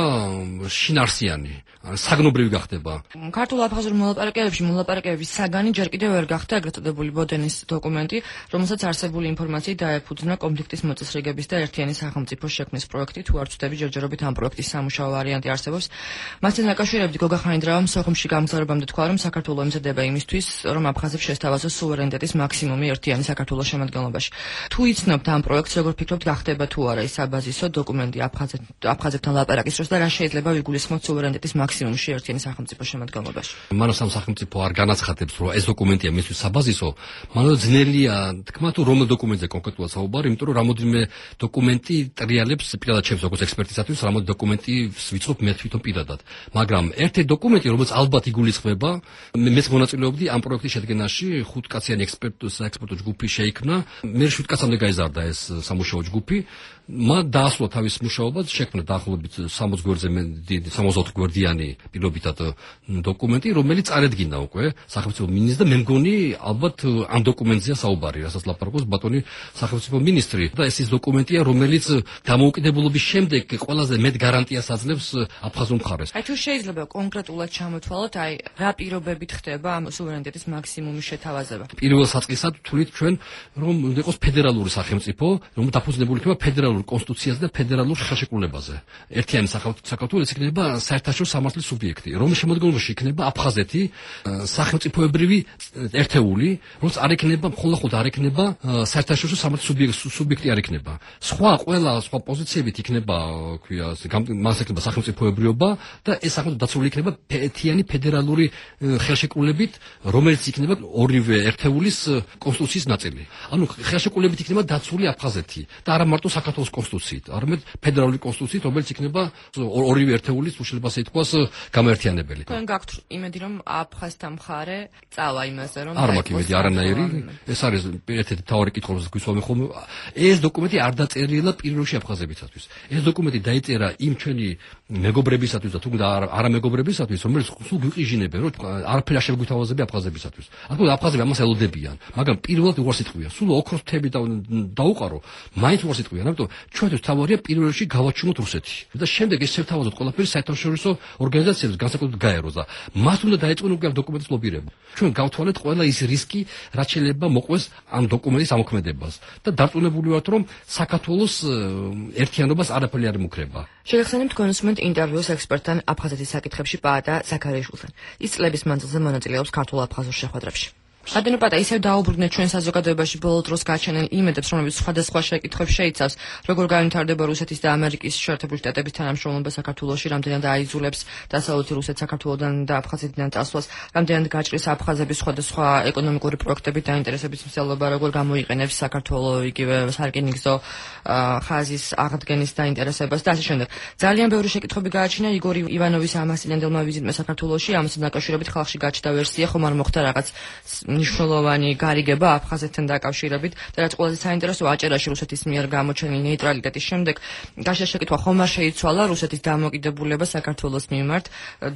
შინარსიანი, საგნობრივი გახდება. ქართულ-აფხაზურ მოლაპარაკებებში მოლაპარაკებების საგანი ჯერ კიდევ ვერ გახდა ეგრეთ წოდებული ბოდენის დოკუმენტი, რომელსაც არსებული ინფორმაციით დაეფუძნა კონფლიქტის მოწესრიგების და ერთიანი სახელმწიფოს შექმნის პროექტი, თუ არ ვცდები ჯერჯერობით ამ პროექტის სამუშაო ვარიანტი არსებობს. მასთან დაკავშირებით გოგა ხანიდრავამ სოხუმში გამგზავრებამდე თქვა, რომ საქართველო ემზადება იმისთვის, რომ აფხაზებს შესთავაზოს სუვერენიტეტის მაქსიმუმი ერთიანი საქართველოს შემადგენლობაში. თუ იცნობთ ამ პროექტს, როგორ ფიქრობთ, გახდება თუ არა ის საბაზისო დოკუმენტი აფხაზებთან ლაპარაკის დროს და რა შეიძლება ვიგულისხმოთ სუვერენიტეტის მაქსიმუმში ერთიანი სახელმწიფოს შემადგენლობაში? მანამ სამ სახელმწიფო არ განაცხადებს, რომ ეს დოკუმენტია მისთვის საბაზისო, მანამ ძნელია თქვა თუ რომელ დოკუმენტზე კონკრეტულად საუბარი, იმიტომ რომ რამოდენიმე დოკუმენტი ტრიალებს პირადად ჩემს როგორც ექსპერტისათვის, რამოდენიმე დოკუმენტი ვიცნობ მე თვითონ პირადად. მაგრამ ერთი დოკუმენტი, რომელიც ალბათ იგულისხმება, მეც მონაწილეობდი ამ პროექტის შედგენაში, ხუთკაციანი ექსპერტო ჯგუფი შეიქმნა. მე შვიდ კაცამდე გაიზარდა ეს სამუშაო ჯგუფი. მათ დაასრულა თავის მუშაობას, შექმნა დაახლოებით სამოცი გვერდზე სამოცდაოთხ გვერდიანი პირობითად დოკუმენტი, რომელიც წარედგინა უკვე სახელმწიფო მინისტრს და მე მგონი ალბათ ამ დოკუმენტზეა საუბარი, რასაც ლაპარაკობს ბატონი სახელმწიფო მინისტრი და ეს ის დოკუმენტია, რომელიც დამოუკიდებლობის შემდეგ ყველაზე მეტ გარანტიას აძლევს აფხაზურ მხარეს. აი თუ შეიძლება კონკრეტულად ჩამოთვალოთ, აი რა პირობებით ხდება ამ სუვერენიტეტის მაქსიმუმის შეთავაზება? პირველ საწყისად თვლით ჩვენ, რომ უნდა იყოს ფედერალური სახელმწიფო, რომელიც დაფუძნებული იქნება ფედერალურ კონსტიტუციაზე და ფედერალურ ხელშეკრულებაზე. ერთიანი საქართველოს იქნება საერთაშორისო სამართლის სუბიექტი, რომლის შემადგენლობაში იქნება აფხაზეთი, სახელმწიფოებრივი ერთეული, რომელიც არ იქნება მხოლოდ არ იქნება საერთაშორისო სამართლის სუბიექტი არ იქნება. სხვა ყველა სხვა პოზიციებით იქნება, ქვია, მას იქნება სახელმწიფოებრიობა და ეს სახელმწიფო დაცული იქნება ერთიანი ფედერალური ხელშეკრულებით, რომელიც იქნება ორივე ერთეულის კონსტიტუციის ნაწილი. ანუ ხელშეკრულებით იქნება დაცული აფხაზეთი და არა მარტო საქართველოს კონსტიტუციით, არამედ ფედერალური კონსტიტუციით, რომელიც იქნება ორივე ერთეულის უშლება ასე ითქვას გამერთიანებელი. თქვენ გაქვთ იმედი, რომ აფხაზთა მხარე წავა იმაზე, რომ არ მაქვს იმედი არანაირი. ეს არის ერთ-ერთი მთავარი კითხვა, რომელსაც გვისვამე ხოლმე. ეს დოკუმენტი არ დაწერილა პირველში აფხაზებისათვის. ეს დოკუმენტი დაიწერა იმ ჩვენი მეგობრებისათვის და თუნდაც არა მეგობრებისათვის, რომელიც სულ გვიყიჟინებენ, რომ არაფერი არ შეგვითავაზებია აფხაზებისათვის. ანუ აფხაზები ამას ელოდებიან, მაგრამ პირველად უარს იტყვია, სულ ოქროს თები დაუყარო, მაინც უარს იტყვიან, ამიტომ ჩვენთვის თავარია პირველში გავაჩინოთ რუსეთი. და შემდეგ ეს შევთავაზოთ ყველაფერი საერთაშორისო ორგანიზაციებს განსაკუთრებით გაეროს და მას უნდა დაეწყონ უკვე ამ დოკუმენტის ლობირება. ჩვენ გავთვალეთ ყველა ის რისკი, რაც შეიძლება მოყვეს ამ დოკუმენტის ამოქმედებას და დარწმუნებული ვართ, რომ საქართველოს ერთიანობას არაფერი არ ემუქრება. შეგახსენებთ თქვენ უსმენთ ინტერვიუს ექსპერტთან აფხაზეთის საკითხებში პაატა ზაქარიაშვილთან. ის წლების მანძილზე მონაწილეობს ქართულ-აფხაზურ შეხვედრებში. ადენო პატა ისევ დაუბრუნდეთ ჩვენ საზოგადოებაში ბოლო დროს გაჩენილ იმედებს, რომლებიც სხვადასხვა შეკითხვებს შეიცავს, როგორ განვითარდება რუსეთის და ამერიკის შეერთებული შტატების თანამშრომლობა საქართველოში, რამდენად აიძულებს დასავლეთი რუსეთ საქართველოდან და აფხაზეთიდან წასვლას, რამდენად გაჭრის აფხაზების სხვადასხვა ეკონომიკური პროექტებით დაინტერესების მსვლელობა, როგორ გამოიყენებს საქართველო იგივე სარკინიგზო ხაზის აღდგენის დაინტერესებას და ასე შემდეგ. ძალიან ბევრი შეკითხვები გააჩინა იგორ ივანოვის ამასწინებელმა ვიზიტმა საქართველოში, ამასთან დაკავშირებით ხალხში გაჩნდა ვერსია, ხომ არ მოხდა რაღაც მნიშვნელოვანი გარიგება აფხაზეთთან დაკავშირებით და რაც ყველაზე საინტერესო აჭერაში რუსეთის მიერ გამოჩენილი ნეიტრალიტეტის შემდეგ გაშა შეკითხვა ხომ არ შეიცვალა რუსეთის დამოუკიდებლობა საქართველოს მიმართ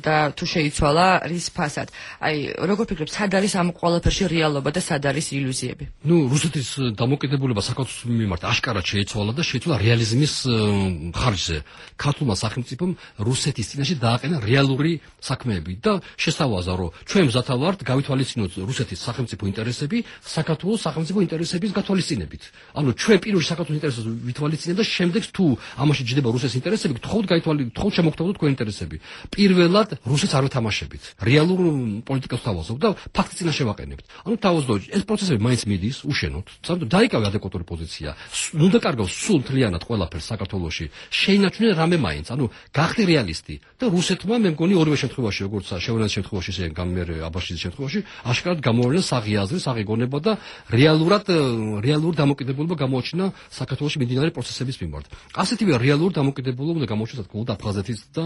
და თუ შეიცვალა რის ფასად. აი როგორ ფიქრობთ, სად არის ამ ყველაფერში რეალობა და სად არის ილუზიები? ნუ რუსეთის დამოუკიდებლობა საქართველოს მიმართ აშკარად შეიცვალა და შეიცვალა რეალიზმის ხარჯზე. ქართულმა სახელმწიფომ რუსეთის წინაშე დააყენა რეალური საქმეები და შესთავაზა, რომ ჩვენ მზათა ვართ გავითვალისწინოთ რუსეთის სახელმწიფო ინტერესები საქართველოს სახელმწიფო ინტერესების გათვალისწინებით. ანუ ჩვენ პირველი საქართველოს ინტერესებს ვითვალისწინებთ და შემდეგ თუ ამაში ჯდება რუსეთის ინტერესები, გთხოვთ გაითვალი, გთხოვთ შემოგთავაზოთ თქვენი ინტერესები. პირველად რუსეთს არ ვეთამაშებით. რეალურ პოლიტიკას თავაზობთ და ფაქტს წინაშე ვაყენებთ. ანუ თავაზობთ, ეს პროცესები მაინც მიდის უშენოდ. სამწუხაროდ დაიკავე ადეკვატური პოზიცია. ნუ დაკარგავს სულ მთლიანად ყველაფერს საქართველოში. შეინარჩუნე რამე მაინც. ანუ გახდი რეალისტი და რუსეთმა მე მგონი ორივე შემთხვევაში, როგორც შევრანის შემთხვევაში, ისე გამერ აბაშიძის შემთხვევაში, აშკარად გამოავლინა საღი აზრი, საღი გონება და რეალურად რეალური დამოკიდებულება გამოაჩინა საქართველოში მიმდინარე პროცესების მიმართ. ასეთივე რეალური დამოკიდებულება უნდა გამოაჩინოს გულ აფხაზეთის და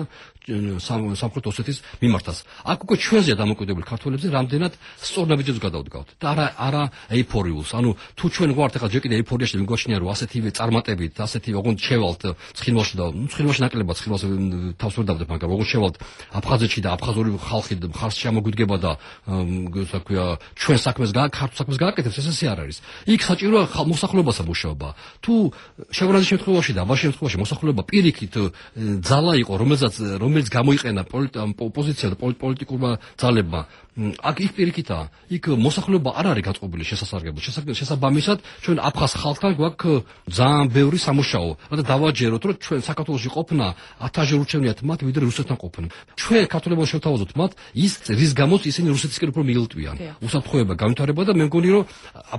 სამხრეთ ოსეთის მიმართაც. აქ უკვე ჩვენზეა დამოკიდებული ქართველებზე რამდენად სწორ ნაბიჯებს გადავდგავთ და არა არა ეიფორიულს. ანუ თუ ჩვენ ვართ ახლა ჯერ კიდე ეიფორიაში და მიგვაჩნია რომ ასეთივე წარმატებით, ასეთივე ოღონდ შევალთ ცხინვალში და ნუ ცხინვალში ნაკლებად ცხინვალს თავს ვერ დავდებ, მაგრამ ოღონდ შევალთ აფხაზეთში და აფხაზური ხალხი მხარს შემოგვიდგება და ასე ვქვია ჩვენ საქმეს ქართულ საქმეს გააკეთებს, ეს ასე არ არის. იქ საჭიროა მოსახლეობასა მუშაობა. თუ შევრანის შემთხვევაში და აბაშის შემთხვევაში მოსახლეობა პირიქით ძალა იყო, რომელსაც რომელიც გამოიყენა პოზიცია და პოლიტიკურმა ძალებმა, აქ იქ პირიქითაა. იქ მოსახლეობა არ არის გაწყობილი შესასარგებლო. შესაბამისად, ჩვენ აფხაზ ხალხთან გვაქვს ძალიან ბევრი სამუშაო. რათა დავაჯეროთ, რომ ჩვენ საქართველოში ყოფნა ათასჯერ ურჩევნიათ მათ, ვიდრე რუსეთთან ყოფნა. ჩვენ ქართველებმა შევთავაზოთ მათ ის რის გამოც ისინი რუსეთისკენ უფრო მიილტვიან. უსაფრთხოება განვითარება და მე მგონი რომ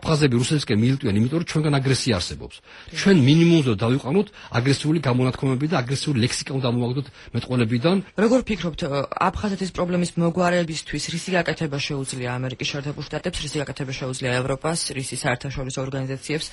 აფხაზები რუსეთისკენ მიილტვიან, იმიტომ რომ ჩვენგან აგრესია არსებობს. ჩვენ მინიმუმზე დავიყვანოთ აგრესიული გამონათქვამები და აგრესიული ლექსიკა უნდა მოვაგდოთ მეტყველებიდან. როგორ ფიქრობთ, აფხაზეთის პრობლემის მოგვარებისთვის რისი გაკეთება შეუძლია ამერიკის შეერთებულ შტატებს, რისი გაკეთება შეუძლია ევროპას, რისი საერთაშორისო ორგანიზაციებს,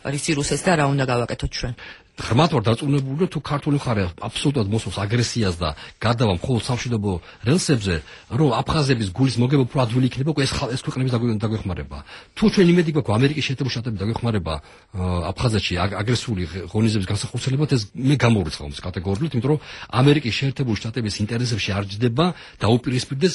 რისი რუსეთს და რა უნდა გავაკეთოთ ჩვენ? ღრმად ვარ დარწმუნებული, რომ თუ ქართული მხარე აბსოლუტურად მოსვავს აგრესიას და გადავა მხოლოდ სამშვიდობო რელსებზე, რომ აფხაზების გულის მოგება უფრო ადვილი იქნება, ეს ეს ქვეყნების დაგვეხმარება. თუ ჩვენ იმედი გვაქვს ამერიკის შეერთებულ შტატების დაგვეხმარება აფხაზეთში აგრესიული ღონისძიების განსახორციელებად, ეს მე გამორიცხავ ეს კატეგორიულად, იმიტომ რომ ამერიკის შეერთებულ შტატების ინტერესებში არ ჯდება დაუპირისპირდეს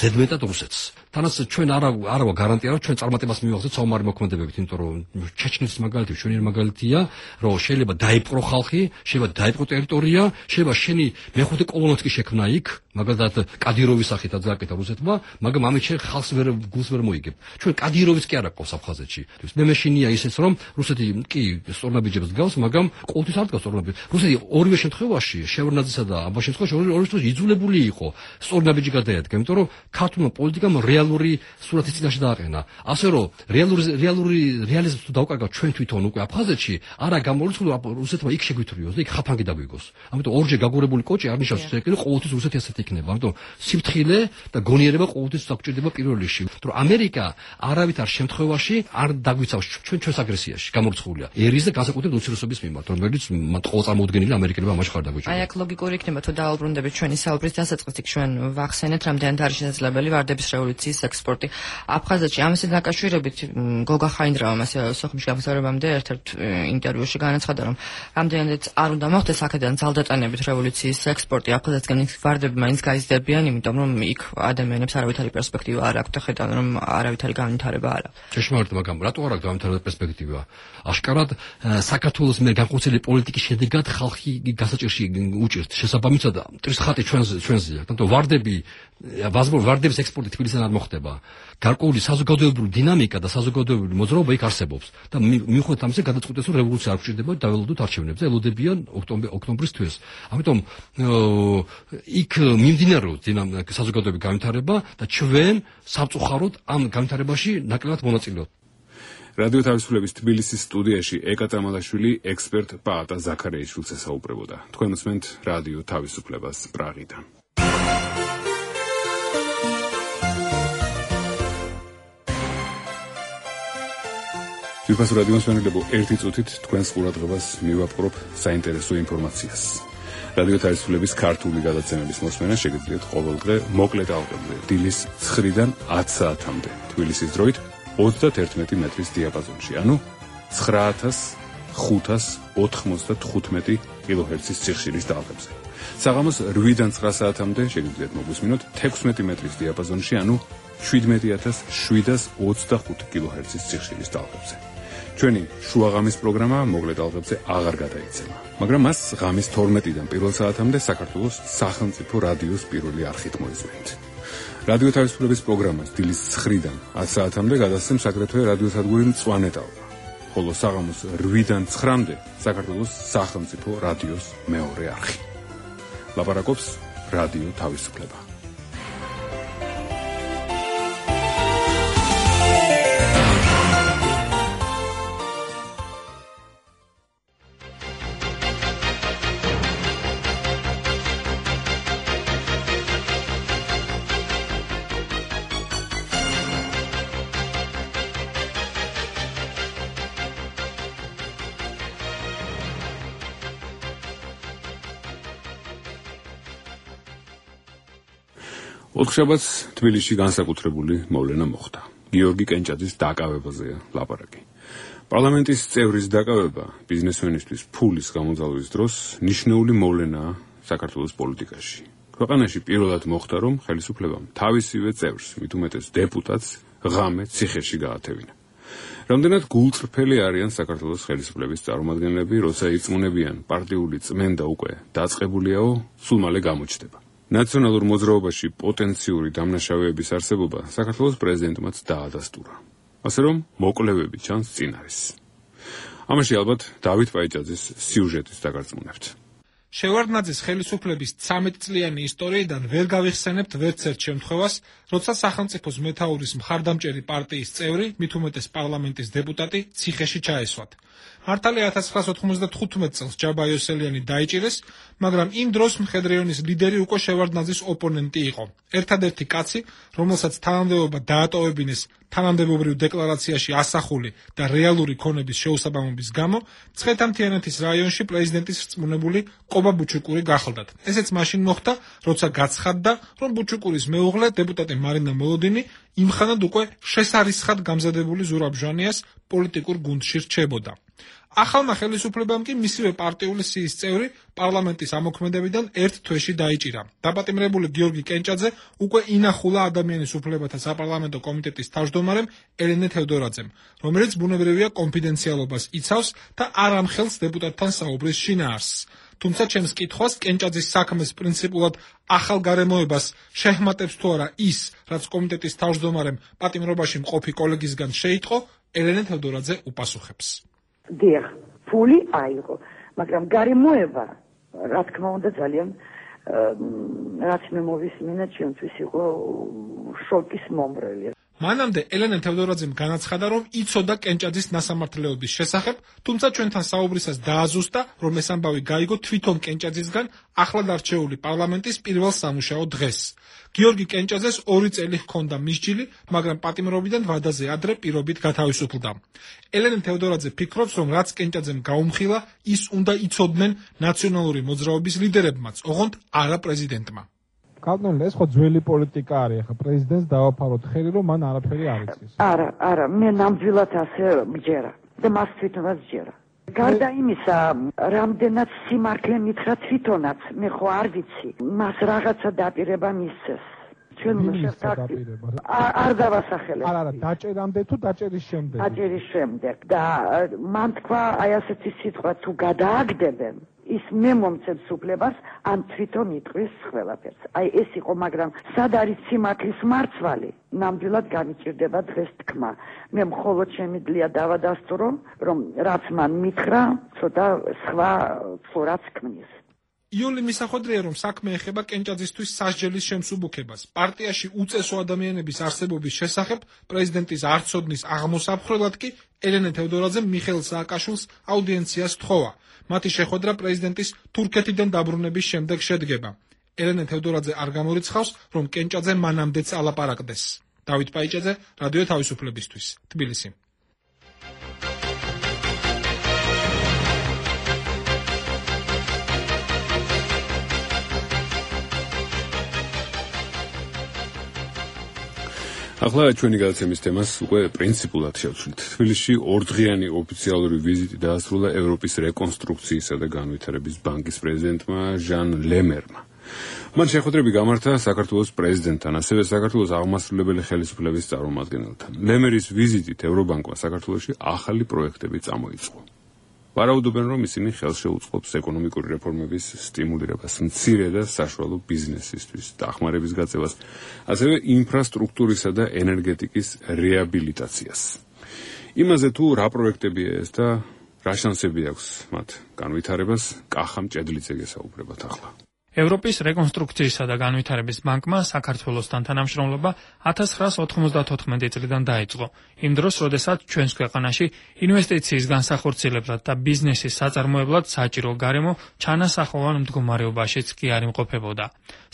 ზედმეტად რუსეთს. თანაც ჩვენ არა არა გარანტია, რომ ჩვენ წარმატებას მივაღწევთ საომარი მოქმედებებით, იმიტომ რომ ჩეჩნეთის მაგალითი ჩვენი მაგალითია, რომ შეიძლება დაიპყრო ხალხი, შეიძლება დაიპყრო ტერიტორია, შეიძლება შენი მეხუთე კოლონაც კი შექმნა იქ, მაგალითად კადიროვის სახითაც გააკეთა რუსეთმა, მაგრამ ამით შენ ხალხს ვერ გულს ვერ მოიგებ. ჩვენ კადიროვის კი არ აქვს აფხაზეთში. მე მეშინია ისეც რომ რუსეთი კი სწორნაბიჯებს დგავს, მაგრამ ყოველთვის არ დგავს სწორნაბიჯებს. რუსეთი ორივე შემთხვევაში, შევრნაძისა და აბაშის შემთხვევაში ორივე შემთხვევაში იძულებული იყო სწორნაბიჯი გადაედგა, იმიტომ რომ ქართულმა პოლიტიკამ რეალური სურათის წინაშე დააყენა. ასე რომ რეალური რეალური რეალიზმს თუ დავკარგავთ ჩვენ თვითონ უკვე აფხაზეთში, არა გამორიცხული რუსეთმა იქ შეგვითვრიოს და იქ ხაფანგი დაგვიგოს. ამიტომ ორჯერ გაგურებული კოჭი არ ნიშნავს რომ ყოველთვის რუსეთი ასეთი იქნება. ამიტომ სიფრთხილე და გონიერება ყოველთვის დაგჭირდება პირველ რიგში. რომ ამერიკა არავითარ შემთხვევაში არ დაგვიცავს ჩვენ ჩვენს აგრესიაში გამორიცხულია. ერის და განსაკუთრებით უმცირესობის მიმართ, რომელიც მათ ყოველ წარმოუდგენელი ამერიკელებმა ამაში ხარ დაგვიჭირდა. აი აქ ლოგიკური იქნება თუ დააუბრუნდებით ჩვენი საუბრის დასაწყისით, ჩვენ ვახსენეთ რამდენად არის შესაძლებელი ვარდების რევოლუციის ექსპორტი აფხაზეთში. ამასთან დაკავშირებით გოგა ხაინდრავამ ასე სოხუმში გამოსაუბრებამდე ერთ-ერთ ინტერვიუში განაცხადა, რომ რამდენადაც არ უნდა მოხდეს აქედან ძალდატანებით რევოლუციის ექსპორტი აფხაზეთისგან, ვარდები მაინც გაიზრდებიან, იმიტომ რომ იქ ადამიანებს არავითარი პერსპექტივა არ აქვთ, ხედავენ რომ არავითარი განვითარება არ აქვს. ჭეშმარიტ, მაგრამ რატო არ აქვს განვითარების პერსპექტივა? აშკარად საქართველოს მიერ განხორციელებული პოლიტიკის შედეგად ხალხი გასაჭირში უჭირთ. შესაბამისად, მტრის ხატი ჩვენს ჩვენზეა. თუმცა ვარდები ვარდების ექსპორტი თბილისიდან არ მოხდება. გარკვეული საზოგადოებრივი დინამიკა და საზოგადოებრივი მოძრაობა იქ არსებობს და მიუხედავად ამისა გადაწყვეტეს რომ რევოლუცია არ გვჭირდება, დაველოდოთ არჩევნებზე, ელოდებიან ოქტომბრის თვეს. ამიტომ იქ მიმდინარეობს საზოგადოებრივი განვითარება და ჩვენ სამწუხაროდ ამ განვითარებაში ნაკლებად მონაწილეობთ. რადიო თავისუფლების თბილისის სტუდიაში ეკა წამალაშვილი ექსპერტ პაატა ზაქარიაშვილს ესაუბრებოდა. თქვენ უსმენთ რადიო თავისუფლებას პრაღიდან. ძვირფასო რადიო მსმენელებო, ერთი წუთით თქვენს ყურადღებას მივაპყრობ საინტერესო ინფორმაციას. რადიო თავისუფლების ქართული გადაცემების მოსმენა შეგიძლიათ ყოველდღე მოკლე ტალღებზე დილის ცხრიდან ათ საათამდე თბილისის დროით ოცდაათი მეტრის დიაპაზონში, ანუ ცხრა ათას ხუთას ოთხმოცდათხუთმეტი კილოჰერცის სიხშირის ტალღებზე. საღამოს რვიდან ცხრა საათამდე შეგიძლიათ მოგვისმინოთ თექვსმეტი მეტრის დიაპაზონში, ანუ შვიდმეტი ათას შვიდას ოცდახუთი კილოჰერცის სიხშირის ტალღებზე. ჩვენი შუაღამის პროგრამა მოკლე ტალღებზე აღარ გადაიცემა, მაგრამ მას ღამის თორმეტიდან პირველ საათამდე საქართველოს სახელმწიფო რადიოს პირველი არხით მოისმენთ. რადიო თავისუფლების პროგრამას დილის ცხრიდან ათ საათამდე გადასცემს აგრეთვე რადიოსადგური მწვანე ტალღა. ხოლო საღამოს რვიდან ცხრამდე საქართველოს სახელმწიფო რადიოს მეორე არხი. ლაპარაკობს რადიო თავისუფლება. ოთხშაბათს თბილისში განსაკუთრებული მოვლენა მოხდა. გიორგი კენჭაძის დაკავებაზეა ლაპარაკი. პარლამენტის წევრის დაკავება ბიზნესმენისთვის ფულის გამოძალვის დროს ნიშნული მოვლენაა საქართველოს პოლიტიკაში. ქვეყანაში პირველად მოხდა, რომ ხელისუფლებამ თავისივე წევრს, მით უმეტეს დეპუტატს, ღამე ციხეში გაათევინა. რამდენად გულწრფელი არიან საქართველოს ხელისუფლების წარმომადგენლები, როცა იწმუნებიან პარტიული წმენდა უკვე დაწყებულიაო, სულ მალე გამოჩნდება. ნაციონალურ მოძრაობაში პოტენციური დამნაშავეების არსებობა საქართველოს პრეზიდენტმაც დაადასტურა. ასე რომ მოკვლევები ჩანს წინ არის. ამაში ალბათ დავით პაიჭაძის სიუჟეტის დაგარწმუნებთ. შევარდნაძის ხელისუფლების ცამეტ წლიანი ისტორიიდან ვერ გავიხსენებთ ვერც ერთ შემთხვევას, როცა სახელმწიფოს მეთაურის მხარდამჭერი პარტიის წევრი, მით უმეტეს პარლამენტის დეპუტატი, ციხეში ჩაესვათ. მართალია ათას ცხრაასა ოთხმოცდათხუთმეტ წელს ჯაბა იოსელიანი დაიჭირეს, მაგრამ იმ დროს მხედრეონის ლიდერი უკვე შევარდნაძის ოპონენტი იყო. ერთადერთი კაცი, რომელსაც თანამდებობა დაატოვებინეს თანამდებობრივ დეკლარაციაში ასახული და რეალური ქონების შეუსაბამობის გამო, მცხეთა-მთიანეთის რაიონში პრეზიდენტის რწმუნებული ყობა ბუჩუკური გახლდათ. ესეც მაშინ მოხდა, როცა გაცხადდა, რომ ბუჩუკურის მეუღლე დეპუტატი მარინა მოლოდინი იმხანად უკვე შესარისხად გამზადებული ზურაბ ჟანიას პოლიტიკურ გუნდში რჩებოდა. ახალმა ხელისუფლებამ კი მისივე პარტიული სიის წევრი პარლამენტის ამოქმედებიდან ერთ თვეში დაიჭირა. დაპატიმრებული გიორგი კენჭაძე უკვე ინახულა ადამიანის უფლებათა საპარლამენტო კომიტეტის თავმჯდომარემ ელენე თევდორაძემ, რომელიც ბუნებრივია კონფიდენციალობას იცავს და არ ამხელს დეპუტატთან საუბრის შინაარსს. თუმცა ჩემს კითხვას კენჭაძის საქმეს პრინციპულად ახალ გარემოებას შეჰმატებს თუ არა ის, რაც კომიტეტის თავმჯდომარემ პატიმრობაში მყოფი კოლეგისგან შეიტყო, ელენე თევდორაძე უპასუხებს. დიახ, ფული აიღო, მაგრამ გარემოება, რა თქმა უნდა, ძალიან რაც მე მოვისმინე, ჩვენთვის იყო შოკის მომრელი. მანამდე ელენე თევდორაძემ განაცხადა, რომ იცოდა კენჭაძის ნასამართლეობის შესახებ, თუმცა ჩვენთან საუბრისას დააზუსტა, რომ ეს ამბავი გაიგო თვითონ კენჭაძისგან ახლად არჩეული პარლამენტის პირველ სამუშაო დღეს. გიორგი კენჭაძეს ორი წელი ჰქონდა მისჯილი, მაგრამ პატიმრობიდან ვადაზე ადრე პირობით გათავისუფლდა. ელენე თევდორაძე ფიქრობს, რომ რაც კენჭაძემ გაუმხილა, ის უნდა იცოდნენ ნაციონალური მოძრაობის ლიდერებმაც, ოღონდ არა პრეზიდენტმა. კანონი ეს ხო ძველი პოლიტიკა არის, ახლა პრეზიდენტს დავაფაროთ ხელი, რომ მან არაფერი არ იცის. არა, არა, მე ნამდვილად ასე მჯერა და მას თვითონაც ჯერა. გარდა იმისა, რამდენად სიმართლე მითხრა თვითონაც, მე ხო არ ვიცი, მას რაღაცა დაპირება მისცეს. ჩვენ შეხვდით. არ დავასახელებ. არა, არა, დაჭერამდე თუ დაჭერის შემდეგ. დაჭერის შემდეგ და მან თქვა აი ასეთი სიტყვა თუ გადააგდებენ ის მე მომცემს უფლებას ან თვითონ იტყვის ყველაფერს. აი ეს იყო, მაგრამ სად არის სიმართლის მარცვალი? ნამდვილად განიჭირდება დღეს თქმა. მე მხოლოდ შემიძლია დავადასტურო, რომ რაც მან მითხრა, ცოტა სხვა ფორაც ქმნის. იული მისახვედრია, რომ საქმე ეხება კენჭაძისთვის სასჯელის შემსუბუქებას. პარტიაში უწესო ადამიანების არსებობის შესახებ პრეზიდენტის არცოდნის აღმოსაფხრელად კი ელენე თევდორაძემ მიხეილ სააკაშვილს აუდიენციას თხოვა. მათი შეხვედრა პრეზიდენტის თურქეთიდან დაბრუნების შემდეგ შედგება. ელენე თევდორაძე არ გამორიცხავს, რომ კენჭაძე მანამდეც ალაპარაკდეს. დავით პაიჭაძე, რადიო თავისუფლებისთვის, თბილისი. ახლა ჩვენი გადაცემის თემას უკვე პრინციპულად შევცვლით. თბილისში ორდღიანი ოფიციალური ვიზიტი დაასრულა ევროპის რეკონსტრუქციისა და განვითარების ბანკის პრეზიდენტმა ჟან ლემერმა. მან შეხვედრები გამართა საქართველოს პრეზიდენტთან, ასევე საქართველოს აღმასრულებელი ხელისუფლების წარმომადგენელთან. ლემერის ვიზიტით ევრობანკმა საქართველოში ახალი პროექტები წამოიწყო. ვარაუდობენ, რომ ისინი ხელს შეუწყობს ეკონომიკური რეფორმების სტიმულირებას, მცირე და საშუალო ბიზნესისთვის, დახმარების გაწევას, ასევე ინფრასტრუქტურისა და ენერგეტიკის რეაბილიტაციას. იმაზე თუ რა პროექტებია ეს და რა შანსები აქვს მათ განვითარებას, კახა მჭედლიძე გესაუბრებათ ახლა. ევროპის რეკონსტრუქციისა და განვითარების ბანკმა საქართველოსთან თანამშრომლობა ათას ცხრაას ოთხმოცდათოთხმეტი წლიდან დაიწყო. იმ დროს, როდესაც ჩვენს ქვეყანაში ინვესტიციის განსახორციელებლად და ბიზნესის საწარმოებლად საჭირო გარემო ჩანასახოვან მდგომარეობაშიც კი არ იმყოფებოდა.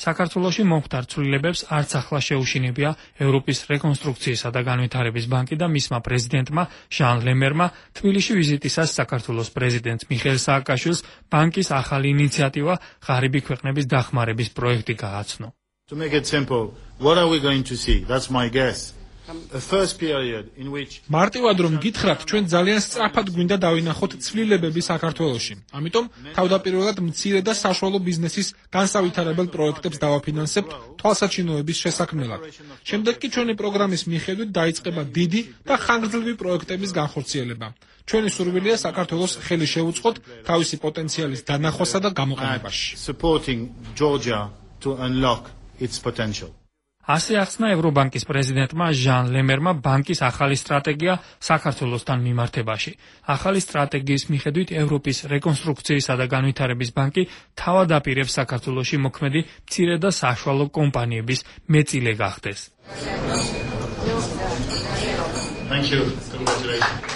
საქართველოში მომხდარ ცვლილებებს არც ახლა შეუშინებია ევროპის რეკონსტრუქციისა და განვითარების ბანკი და მისმა პრეზიდენტმა ჟან ლემერმა თბილისში ვიზიტისას საქართველოს პრეზიდენტ მიხეილ სააკაშვილს ბანკის ახალი ინიციატივა ღარიბი ქვეყნების დახმარების პროექტი გააცნო. To make it simple, what are we going to see? That's my guess. A first period in which მარტივად რომ გითხრათ, ჩვენ ძალიან სწრაფად გვინდა დავინახოთ ცვლილებები საქართველოში. ამიტომ თავდაპირველად მცირე და საშუალო ბიზნესის განსავითარებელ პროექტებს დავაფინანსებთ თვალსაჩინოების შესაქმნელად. შემდეგ კი ჩვენი პროგრამის მიხედვით დაიწყება დიდი და ხანგრძლივი პროექტების განხორციელება. ჩვენი სურვილია საქართველოს ხელი შეუწყოთ თავისი პოტენციალის დანახვასა და გამოყენებაში. supporting Georgia to unlock its potential. ასე ახსნა ევრობანკის პრეზიდენტმა ჟან ლემერმა ბანკის ახალი სტრატეგია საქართველოსთან მიმართებაში. ახალი სტრატეგიის მიხედვით ევროპის რეკონსტრუქციისა და განვითარების ბანკი თავად აპირებს საქართველოში მოქმედი მცირე და საშუალო კომპანიების მეწილე გახდეს. Thank you. Congratulations.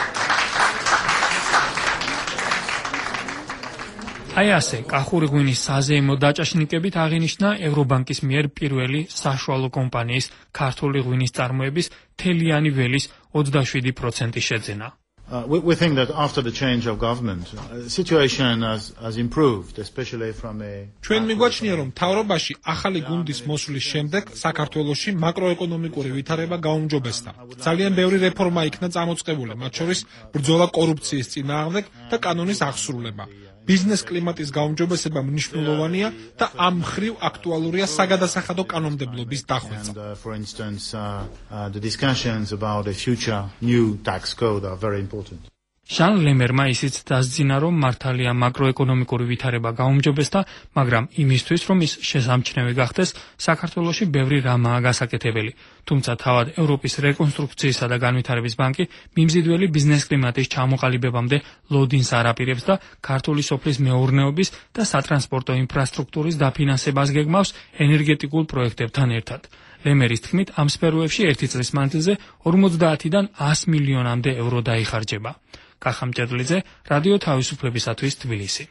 აი ასე, კახური ღვინის საზეიმო დაჭაშნიკებით აღინიშნა ევრობანკის მიერ პირველი საშუალო კომპანიის ქართული ღვინის წარმოების თელიანი ველის ოცდაშვიდი პროცენტი შეძენა. Uh, we, we think that after the change of government, uh, the situation has, has improved, especially from a... ჩვენ მიგვაჩნია, რომ მთავრობაში ახალი გუნდის მოსვლის შემდეგ საქართველოში მაკროეკონომიკური ვითარება გაუმჯობესდა. ძალიან ბევრი რეფორმა იქნა წამოწყებული, მათ შორის ბრძოლა კორუფციის წინააღმდეგ და კანონის აღსრულება. ბიზნეს კლიმატის გაუმჯობესება მნიშვნელოვანია და ამ მხრივ აქტუალურია საგადასახადო კანონმდებლობის დახვეწა. For instance, uh, uh, the discussions about a future new tax code are very important. ჟან ლემერმა ისიც დასძინა, რომ მართალია მაკროეკონომიკური ვითარება გაუმჯობესდა, მაგრამ იმისთვის, რომ ის შესამჩნევი გახდეს, საქართველოში ბევრი რამაა გასაკეთებელი. თუმცა თავად ევროპის რეკონსტრუქციისა და განვითარების ბანკი მიმზიდველი ბიზნეს კლიმატის ჩამოყალიბებამდე ლოდინს არ აპირებს და ქართული სოფლის მეურნეობის და სატრანსპორტო ინფრასტრუქტურის დაფინანსებას გეგმავს ენერგეტიკულ პროექტებთან ერთად. ლემერის თქმით, ამ სფეროებში ერთი წლის მანძილზე ორმოცდაათიდან ას მილიონამდე ევრო დაიხარჯება. კახა მჭედლიძე, რადიო თავისუფლებისათვის თბილისი.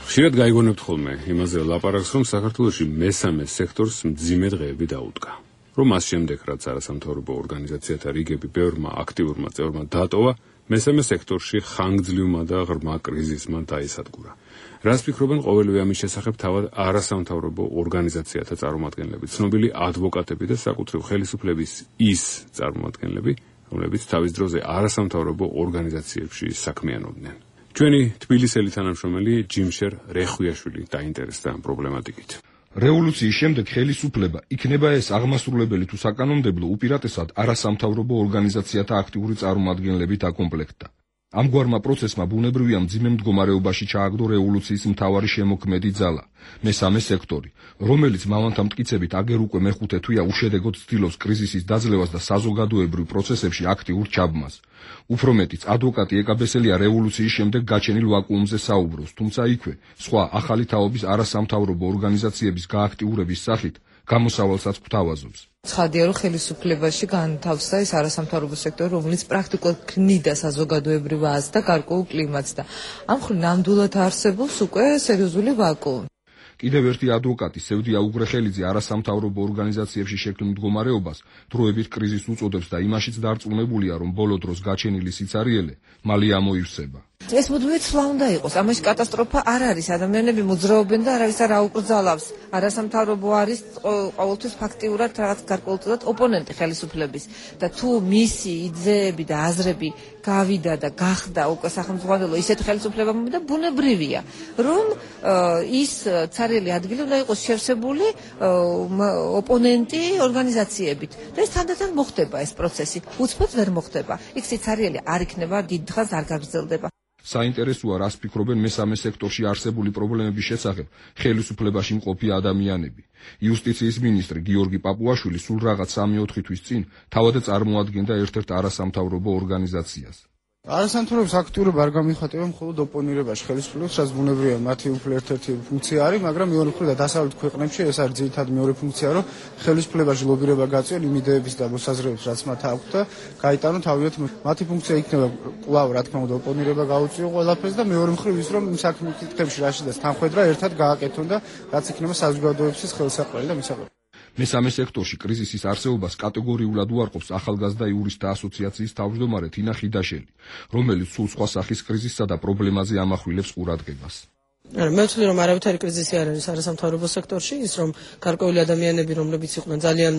ხშირად გაიგონებთ ხოლმე იმაზე ლაპარაკს, რომ საქართველოში მესამე სექტორს მძიმე დღეები დაუდგა. რომ მას შემდეგ, რაც არასამთავრობო ორგანიზაციათა რიგები ბევრმა აქტიურმა წევრმა დატოვა, მესამე სექტორში ხანგრძლივმა და ღრმა კრიზისმა დაისადგურა. რას ფიქრობენ ყოველივე ამის შესახებ თავად არასამთავრობო ორგანიზაციათა წარმომადგენლები, ცნობილი ადვოკატები და საკუთრივ ხელისუფლების ის წარმომადგენლები, რომლებიც თავის დროზე არასამთავრობო ორგანიზაციებში საქმიანობდნენ. ჩვენი თბილისელი თანამშრომელი ჯიმშერ რეხვიაშვილი დაინტერესდა ამ პრობლემატიკით. რევოლუციის შემდეგ ხელისუფლება, იქნება ეს აღმასრულებელი თუ საკანონმდებლო, უპირატესად არასამთავრობო ორგანიზაციათა აქტიური წარმომადგენლებით აკომპლექტდა. ამგვარმა პროცესმა ბუნებრივია მძიმე მდგომარეობაში ჩააგდო რევოლუციის მთავარი შემოქმედი ძალა, მესამე სექტორი, რომელიც მავანთა მტკიცებით აგერ უკვე მეხუთე თვეა უშედეგოდ ცდილობს კრიზისის დაძლევას და საზოგადოებრივ პროცესებში აქტიურ ჩაბმას. უფრო მეტიც, ადვოკატი ეკაბესელია რევოლუციის შემდეგ გაჩენილ ვაკუუმზე საუბრობს, თუმცა იქვე სხვა ახალი თაობის არასამთავრობო ორგანიზაციების გააქტიურების სახით გამოსავალსაც გვთავაზობს. ცხადია, რომ ხელისუფლებაში განთავსდა ეს არასამთავრობო სექტორი, რომელიც პრაქტიკულად ქმნიდა საზოგადოებრივ აზრს და გარკვეულ კლიმატს და ამ მხრივ ნამდვილად არსებობს უკვე სერიოზული ვაკუუმი. კიდევ ერთი ადვოკატი სევდია უგრეხელიძე არასამთავრობო ორგანიზაციებში შექმნილ მდგომარეობას დროებით კრიზისს უწოდებს და იმაშიც დარწმუნებულია, რომ ბოლო დროს გაჩენილი სიცარიელე მალე ამოივსება. ეს მუდმივი ცვლა უნდა იყოს. ამაში კატასტროფა არ არის. ადამიანები მოძრაობენ და არავის არ აუკრძალავს. არასამთავრობო არის ყოველთვის ფაქტიურად რაღაც გარკვეულწილად ოპონენტი ხელისუფლების და თუ მისი იდეები და აზრები გავიდა და გახდა უკვე სახელმწიფო ისეთ ხელისუფლებამ და ბუნებრივია, რომ ის ცარიელი ადგილი უნდა იყოს შევსებული ოპონენტი ორგანიზაციებით. და ეს თანდათან მოხდება ეს პროცესი. უცბად ვერ მოხდება. იქ სიცარიელი არ იქნება, დიდ დღეს არ გაგრძელდება. საინტერესოა, რას ფიქრობენ მესამე სექტორში არსებული პრობლემების შესახებ ხელისუფლებაში მყოფი ადამიანები. იუსტიციის მინისტრი გიორგი პაპუაშვილი სულ რაღაც სამი-ოთხი თვის წინ თავად წარმოადგენდა ერთ-ერთ არასამთავრობო ორგანიზაციას. არასამთავრობოს აქტიურობა არ გამოიხატება მხოლოდ ოპონირებაში ხელისუფლებას, რაც ბუნებრივია, მათი უფრო ერთ-ერთი ფუნქცია არის, მაგრამ მეორე მხრიდან დასავლეთ ქვეყნებში ეს არის ძირითადად მეორე ფუნქცია, რომ ხელისუფლებაში ლობირება გაწვიონ იმ იდეების და მოსაზრებებს, რაც მათ აქვთ და გაიტანონ თავიანთ მათი ფუნქცია იქნება კვლავ, რა თქმა უნდა, ოპონირება გაუწიო ყველაფერს და მეორე მხრივ ის, რომ იმ საქმეებში რაშიდაც თანხმედრა ერთად გააკეთონ და რაც იქნება საზოგადოების ხელსაყრელი და მისაღები. მესამე სექტორში კრიზისის არსებობას კატეგორიულად უარყოფს ახალგაზრდა იურისტთა ასოციაციის თავმჯდომარე თინა ხიდაშელი, რომელიც სულ სხვა სახის კრიზისსა და პრობლემაზე ამახვილებს ყურადღებას. მე ვთვლი, რომ არავითარი კრიზისი არ არის არასამთავრობო სექტორში, ის რომ გარკვეული ადამიანები, რომლებიც იყვნენ ძალიან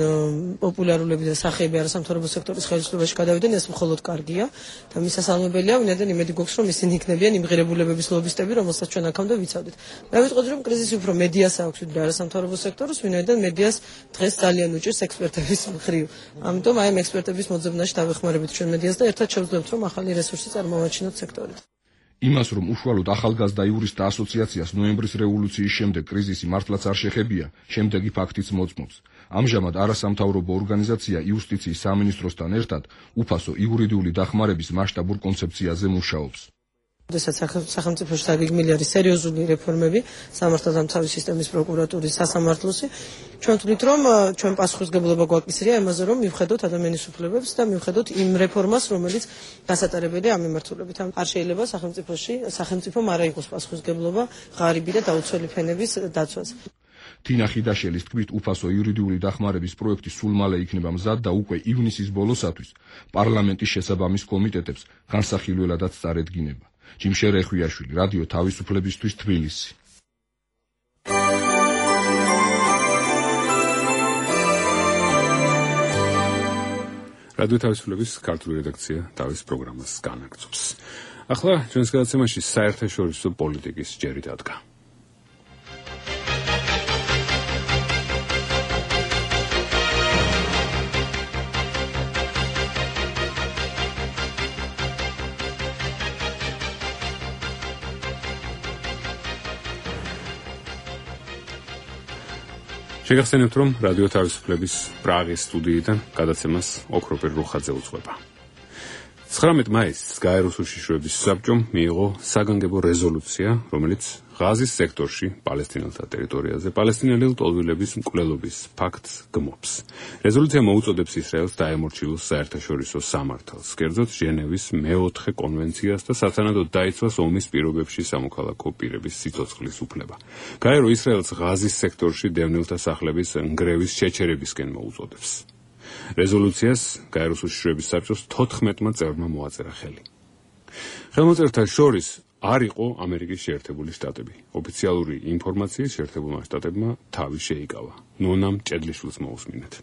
პოპულარულები და სახეები არასამთავრობო სექტორის ხელისუფლებაში გადავიდნენ, ეს მხოლოდ კარგია და მისასალმებელია, ვინაიდან იმედი გვაქვს, რომ ისინი იქნებიან იმღერებულებების ლობისტები, რომელსაც ჩვენ აქამდე ვიცავდით. მე ვიტყოდი, რომ კრიზისი უფრო მედიას აქვს, ვიდრე არასამთავრობო სექტორს, ვინაიდან მედიას დღეს ძალიან უჭირს ექსპერტების მხრივ. ამიტომ აი ამ ექსპერტების მოძებნაში დავეხმარებით ჩვენ მედიას და ერთად შევძლებთ, რომ ახალი რესურსი წარმოვაჩინოთ სექტორით. იმას, რომ უშუალოდ ახალგაზრდა იურისტთა ასოციაციას ნოემბრის რევოლუციის შემდეგ კრიზისი მართლაც არ შეხებია, შემდეგი ფაქტიც მოწმობს. ამჟამად არასამთავრობო ორგანიზაცია იუსტიციის სამინისტროსთან ერთად უფასო იურიდიული დახმარების მასშტაბურ კონცეფციაზე მუშაობს. როდესაც სახელმწიფოში დაგეგმილი არის სერიოზული რეფორმები, სამართალდამცავი სისტემის პროკურატურის სასამართლოსი, ჩვენ ვთვლით, რომ ჩვენ პასუხისმგებლობა გვაკისრია იმაზე, რომ მივხედოთ ადამიანის უფლებებს და მივხედოთ იმ რეფორმას, რომელიც გასატარებელია ამ მიმართულებით. არ შეიძლება სახელმწიფოში, სახელმწიფომ არ აიღოს პასუხისმგებლობა ღარიბი და დაუცველი ფენების დაცვას. თინა ხიდაშელის თქმით, უფასო იურიდიული დახმარების პროექტი სულ მალე იქნება მზად და უკვე ივნისის ბოლოსათვის პარლამენტის შესაბამის კომიტეტებს განსახილველადაც წარედგინება. ჯიმშე რეხვიაშვილი, რადიო თავისუფლებისთვის, თბილისი. რადიო თავისუფლების ქართული რედაქცია თავის პროგრამას განაგრძობს. ახლა ჩვენს გადაცემაში საერთაშორისო პოლიტიკის ჯერი დადგა. შეგახსენებთ, რომ რადიო თავისუფლების პრაღის სტუდიიდან გადაცემას ოქროპირ რუხაძე უძღვება. ცხრამეტ მაისს გაეროს უშიშროების საბჭომ მიიღო საგანგებო რეზოლუცია, რომელიც ღაზის სექტორში პალესტინელთა ტერიტორიაზე პალესტინელი ლტოლვილების მკვლელობის ფაქტს გმობს. რეზოლუცია მოუწოდებს ისრაელს დაემორჩილოს საერთაშორისო სამართალს, კერძოდ ჟენევის მეოთხე კონვენციას და სათანადოდ დაიცვას ომის პირობებში სამოქალაქო პირების სიცოცხლის უფლება. გაერო ისრაელს ღაზის სექტორში დევნილთა სახლების ნგრევის შეჩერებისკენ მოუწოდებს. რეზოლუციას გაეროს უშიშროების საბჭოს თოთხმეტმა წევრმა მოაწერა ხელი. ხელმოწერთა შორის არ იყო ამერიკის შეერთებული შტატები. ოფიციალური ინფორმაციის შეერთებულმა შტატებმა თავი შეიკავა. ნონამ ჭედლიშვილს მოусმინეთ.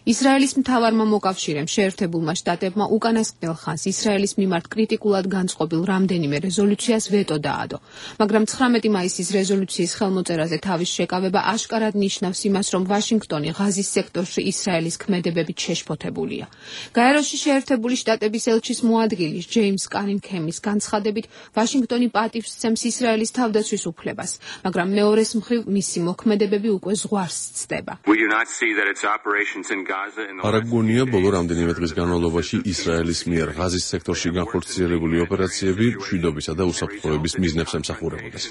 ისრაელის მთავარმა მოკავშირემ შეერთებულმა შტატებმა უკანასკნელ ხანს ისრაელის მიმართ კრიტიკულად განწყობილ რამდენიმე რეზოლუციას ვეტო დაადო, მაგრამ ცხრამეტი მაისის რეზოლუციის ხელმოწერაზე თავის შეკავება აშკარად ნიშნავს იმას, რომ ვაშინგტონი ღაზის სექტორში ისრაელის ქმედებებით შეშფოთებულია. გაეროში შეერთებული შტატების ელჩის მოადგილის ჯეიმს კანინგჰემის განცხადებით, ვაშინგტონი პატივს სცემს ისრაელის თავდაცვის უფლებას, მაგრამ მეორეს მხრივ მისი მოქმედებები უკვე ზღვარს სცდება. არ აგონია ბოლო რამდენიმე დღის განმავლობაში ისრაელის მიერ ღაზის სექტორში განხორციელებული ოპერაციები მშვიდობისა და უსაფრთხოების მიზნებს ემსახურებოდეს.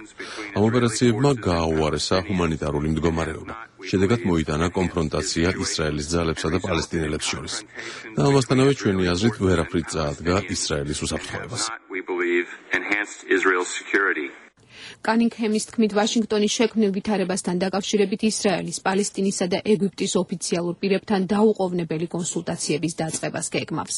ამ ოპერაციებმა გააუარესა ჰუმანიტარული მდგომარეობა. შედეგად მოიტანა კონფრონტაცია ისრაელის ძალებსა და პალესტინელებს შორის. და ამასთანავე ჩვენი აზრით ვერაფრით წაადგა ისრაელის უსაფრთხოებას. კანინგჰემის თქმით, ვაშინგტონის შექმნილ ვითარებასთან დაკავშირებით ისრაელის, პალესტინისა და ეგვიპტის ოფიციალურ პირებთან დაუყოვნებელი კონსულტაციების დაწყებას გეგმავს.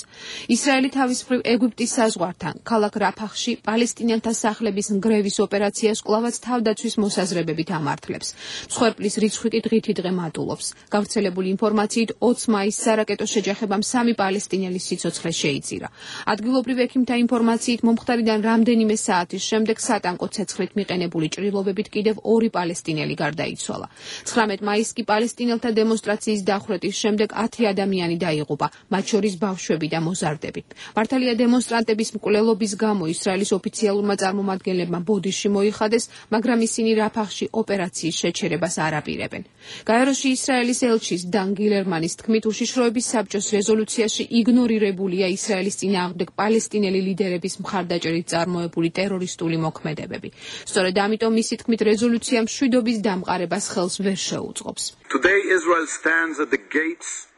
ისრაელი თავის მხრივ ეგვიპტის საზღვართან, ქალაქ რაფახში პალესტინელთა სახლების ნგრევის ოპერაციას კვლავაც თავდაცვის მოსაზრებებით ამართლებს. მსხვერპლის რიცხვი კი დღითი დღე მატულობს. გავრცელებული ინფორმაციით ოცი მაისს სარაკეტო შეჯახებამ სამი პალესტინელის სიცოცხლე შეიწირა. ადგილობრივ ექიმთა ინფორმაციით მომხდარიდან რამდენიმე საათის შემდეგ სატანკო ცეცხლით მიყენებული ჭრილობებით კიდევ ორი პალესტინელი გარდაიცვალა. ცხრამეტ მაისს კი პალესტინელთა დემონსტრაციის დახვრეტის შემდეგ ათი ადამიანი დაიღუპა, მათ შორის ბავშვები და მოზარდები. მართალია დემონსტრანტების მკვლელობის გამო ისრაელის ოფიციალურმა წარმომადგენლებმა ბოდიში მოიხადეს, მაგრამ ისინი რაფახში ოპერაციის შეჩერებას არ აპირებენ. გაეროში ისრაელის ელჩის დან გილერმანის თქმით, უშიშროების საბჭოს რეზოლუციაში იგნორირებულია ისრაელის წინააღმდეგ პალესტინელი ლიდერების მხარდაჭერით წარმოებული ტერორისტული მოქმედებები. სწორედ ამიტომ მისი თქმით, რეზოლუცია მშვიდობის დამყარებას ხელს ვერ შეუწყობს.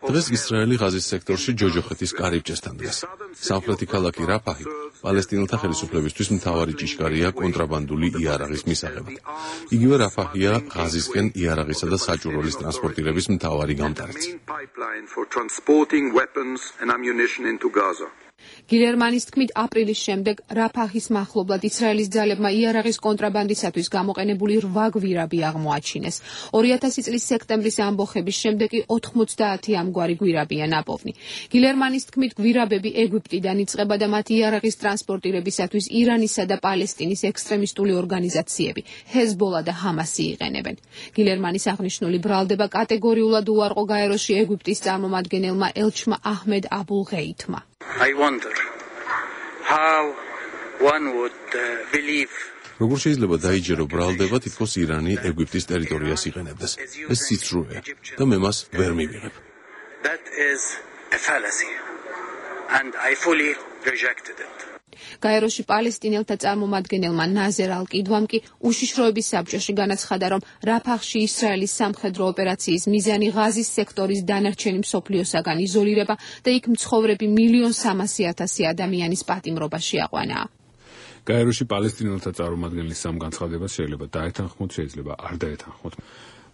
დღეს ისრაელი ღაზის სექტორში ჯოჯოხეთის კარიბჭესთან დგას. სამხრეთი ქალაქი რაფაჰი პალესტინელთა ხელისუფლებისთვის მთავარი ჭიშკარია კონტრაბანდული იარაღის მისაღებად. იგივე რაფაჰია ღაზისკენ იარაღისა და საჭურველის ტრანსპორტირების მთავარი გამტარიც. გილერმანის თქმით, აპრილის შემდეგ რაფაჰის მახლობლად ისრაელის ძალებმა იარაღის კონტრაბანდისათვის გამოყენებული რვა გვირაბი აღმოაჩინეს. ორი ათასი წლის სექტემბრის ამბოხების შემდეგ კი ოთხმოცდაათი ამგვარი გვირაბია ნაპოვნი. გილერმანის თქმით, გვირაბები ეგვიპტიდან იწყება და მათ იარაღის ტრანსპორტირებისათვის ირანისა და პალესტინის ექსტრემისტული ორგანიზაციები, ჰეზბოლა და ჰამასი იყენებენ. გილერმანის აღნიშნული ბრალდება კატეგორიულად უარყო გაეროში ეგვიპტის წარმომადგენელმა ელჩმა აჰმედ აბულ-ღეითმა. I wonder how one would uh, believe როგორ შეიძლება დაიჯერო ბრალდება თითქოს ირანი ეგვიპტის ტერიტორიას იყენებდეს? ეს სიცრუეა და მე მას ვერ მივიღებ. That is a fallacy and I fully rejected it. გაეროში პალესტინელთა წარმომადგენელმა ნაზერ ალ-კიდვამ კი უშიშროების საბჭოში განაცხადა, რომ რაფახში ისრაელის სამხედრო ოპერაციის მიზანი ღაზის სექტორის დანარჩენი მსოფლიოსაგან იზოლირება და იქ მცხოვრები მილიონ სამასი ათასი ადამიანის პატიმრობა შეაყვანა. გაეროში პალესტინელთა წარმომადგენლის სამ განცხადებას შეიძლება დაეთანხმოთ, შეიძლება არ დაეთანხმოთ.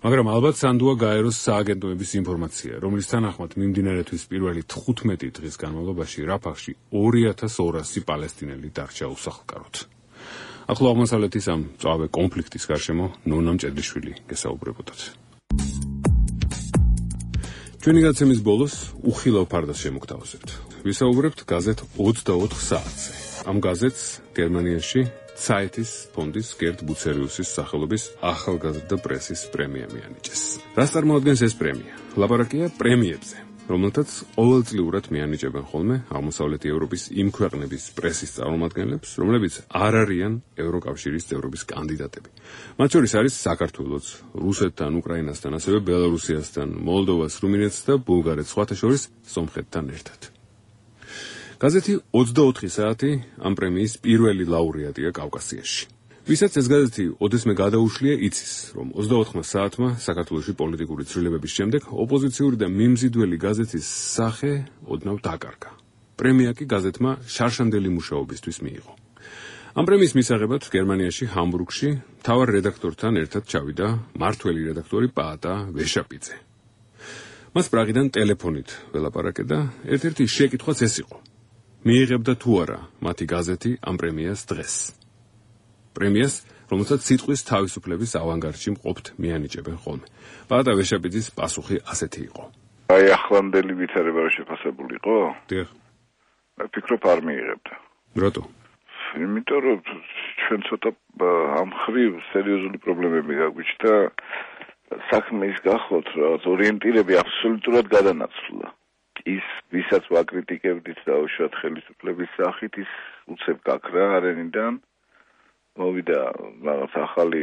მაგრამ ალბათ სანდუა გაეროს სააგენტოების ინფორმაცია, რომლის თანახმად მიმდინარეთვის პირველი თხუთმეტი დღის განმავლობაში რაფახში ორი ათას ორასი პალესტინელი დარჩა უსახლკაროდ. ახლო აღმოსავლეთის ამ მწვავე კონფლიქტის გარშემო ნონა მჭედლიშვილი გესაუბრებოდათ. ჩვენი გაცემის ბოლოს უხილავ ფარდას შემოგთავაზებთ. ვისაუბრებთ გაზეთ ოცდაოთხ საათზე. ამ გაზეთს გერმანიაში Zeitis ფონდის გერტ ბუცერიუსის სახელობის ახალგაზრდა პრესის პრემია მიანიჭეს. რას წარმოადგენს ეს პრემია? ლაპარაკია პრემიებზე, რომელთაც ყოველწლიურად მიანიჭებენ ხოლმე აღმოსავლეთი ევროპის იმ ქვეყნების პრესის წარმომადგენლებს, რომლებიც არ არიან ევროკავშირის წევრობის კანდიდატები. მათ შორის არის საქართველოც, რუსეთთან, უკრაინასთან, ასევე ბელარუსიასთან, მოლდოვას, რუმინეთს და ბულგარეთს, სხვათა შორის სომხეთთან ერთად. გაზეთი ოცდაოთხი საათი ამ პრემიის პირველი ლაურეატია კავკასიაში. ვისაც ეს გაზეთი ოდესმე გადაუშლია, იცის, რომ ოცდაოთხმა საათმა საქართველოში პოლიტიკური ცვლილებების შემდეგ ოპოზიციური და მიმზიდველი გაზეთის სახე ოდნავ დაკარგა. პრემია კი გაზეთმა შარშანდელი მუშაობისთვის მიიღო. ამ პრემიის მისაღებად გერმანიაში ჰამბურგში მთავარ რედაქტორთან ერთად ჩავიდა მართველი რედაქტორი პაატა ვეშაპიძე. მას პრაღიდან ტელეფონით ველაპარაკე და ერთ-ერთი შეკითხვაც ეს იყო: მიიღებდა თუ არა მათი გაზეთი ამ პრემიას დღეს? პრემიას, რომელსაც სიტყვის თავისუფლების ავანგარდში მყოფთ მიანიჭებენ ხოლმე. პაატა ვეშაპიძის პასუხი ასეთი იყო: აი ახლანდელი ვითარება რო შეფასებულიყო? დიახ. ვფიქრობ არ მიიღებდა. რატო? იმიტომ რომ ჩვენ ცოტა ამ ხრივ სერიოზული პრობლემები გაგვიჩნდა. საქმე ის გახლავთ, რომ ორიენტირები აბსოლუტურად გადანაცვლა. ის ვისაც ვაკრიტიკებდით დაუშვათ ხელისუფლების სახით, ის უცებ გაქრა არენიდან, მოვიდა რაღაც ახალი,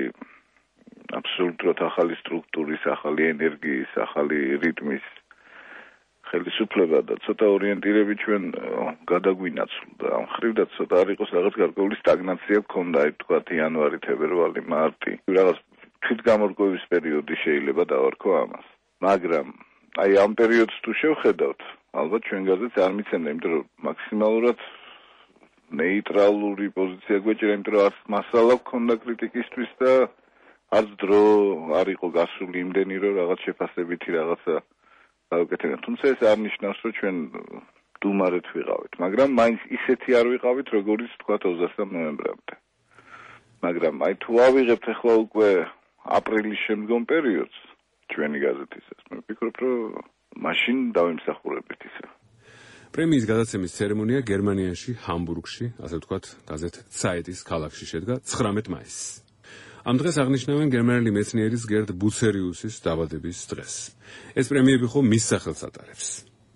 აბსოლუტურად ახალი სტრუქტურის, ახალი ენერგიის, ახალი რიტმის ხელისუფლება და ცოტა ორიენტირები ჩვენ გადაგვინაცვლდა. ამ ხრივ და ცოტა არ იყოს რაღაც გარკვეული სტაგნაცია გქონდა, აი თქვათ იანვარი, თებერვალი, მარტი. რაღაც თვითგამორკვევის პერიოდი შეიძლება დავარქვა ამას. მაგრამ აი ამ პერიოდს თუ შევხედავთ, ალბათ ჩვენ გაზეთს არ მიცემდა, იმიტომ რომ მაქსიმალურად ნეიტრალური პოზიცია გვეჭირა, იმიტომ რომ არც მასალა გქონდა კრიტიკისთვის და არც დრო არ იყო გასული იმდენი, რომ რაღაც შეფასებითი რაღაცა გავაკეთებინა. თუმცა ეს არ ნიშნავს, რომ ჩვენ დუმარეთ ვიყავით, მაგრამ მაინც ისეთი არ ვიყავით, როგორიც თქვა ოცდასამ ნოემბრამდე. მაგრამ აი თუ ავიღებთ ახლა უკვე აპრილის შემდგომ პერიოდს ჩვენი გაზეთისას, მე ვფიქრობ, რომ მაშინ დავიმსახურებთ ისე. პრემიის გადაცემის ცერემონია გერმანიაში, ჰამბურგში, ასე ვთქვათ, გაზეთ Zeit-ის ქალაქში შედგა ცხრამეტ მაისს. ამ დღეს აღნიშნავენ გერმანელი მეცნიერის გერდ ბუცერიუსის დაბადების დღეს. ეს პრემიები ხო მის სახელს ატარებს.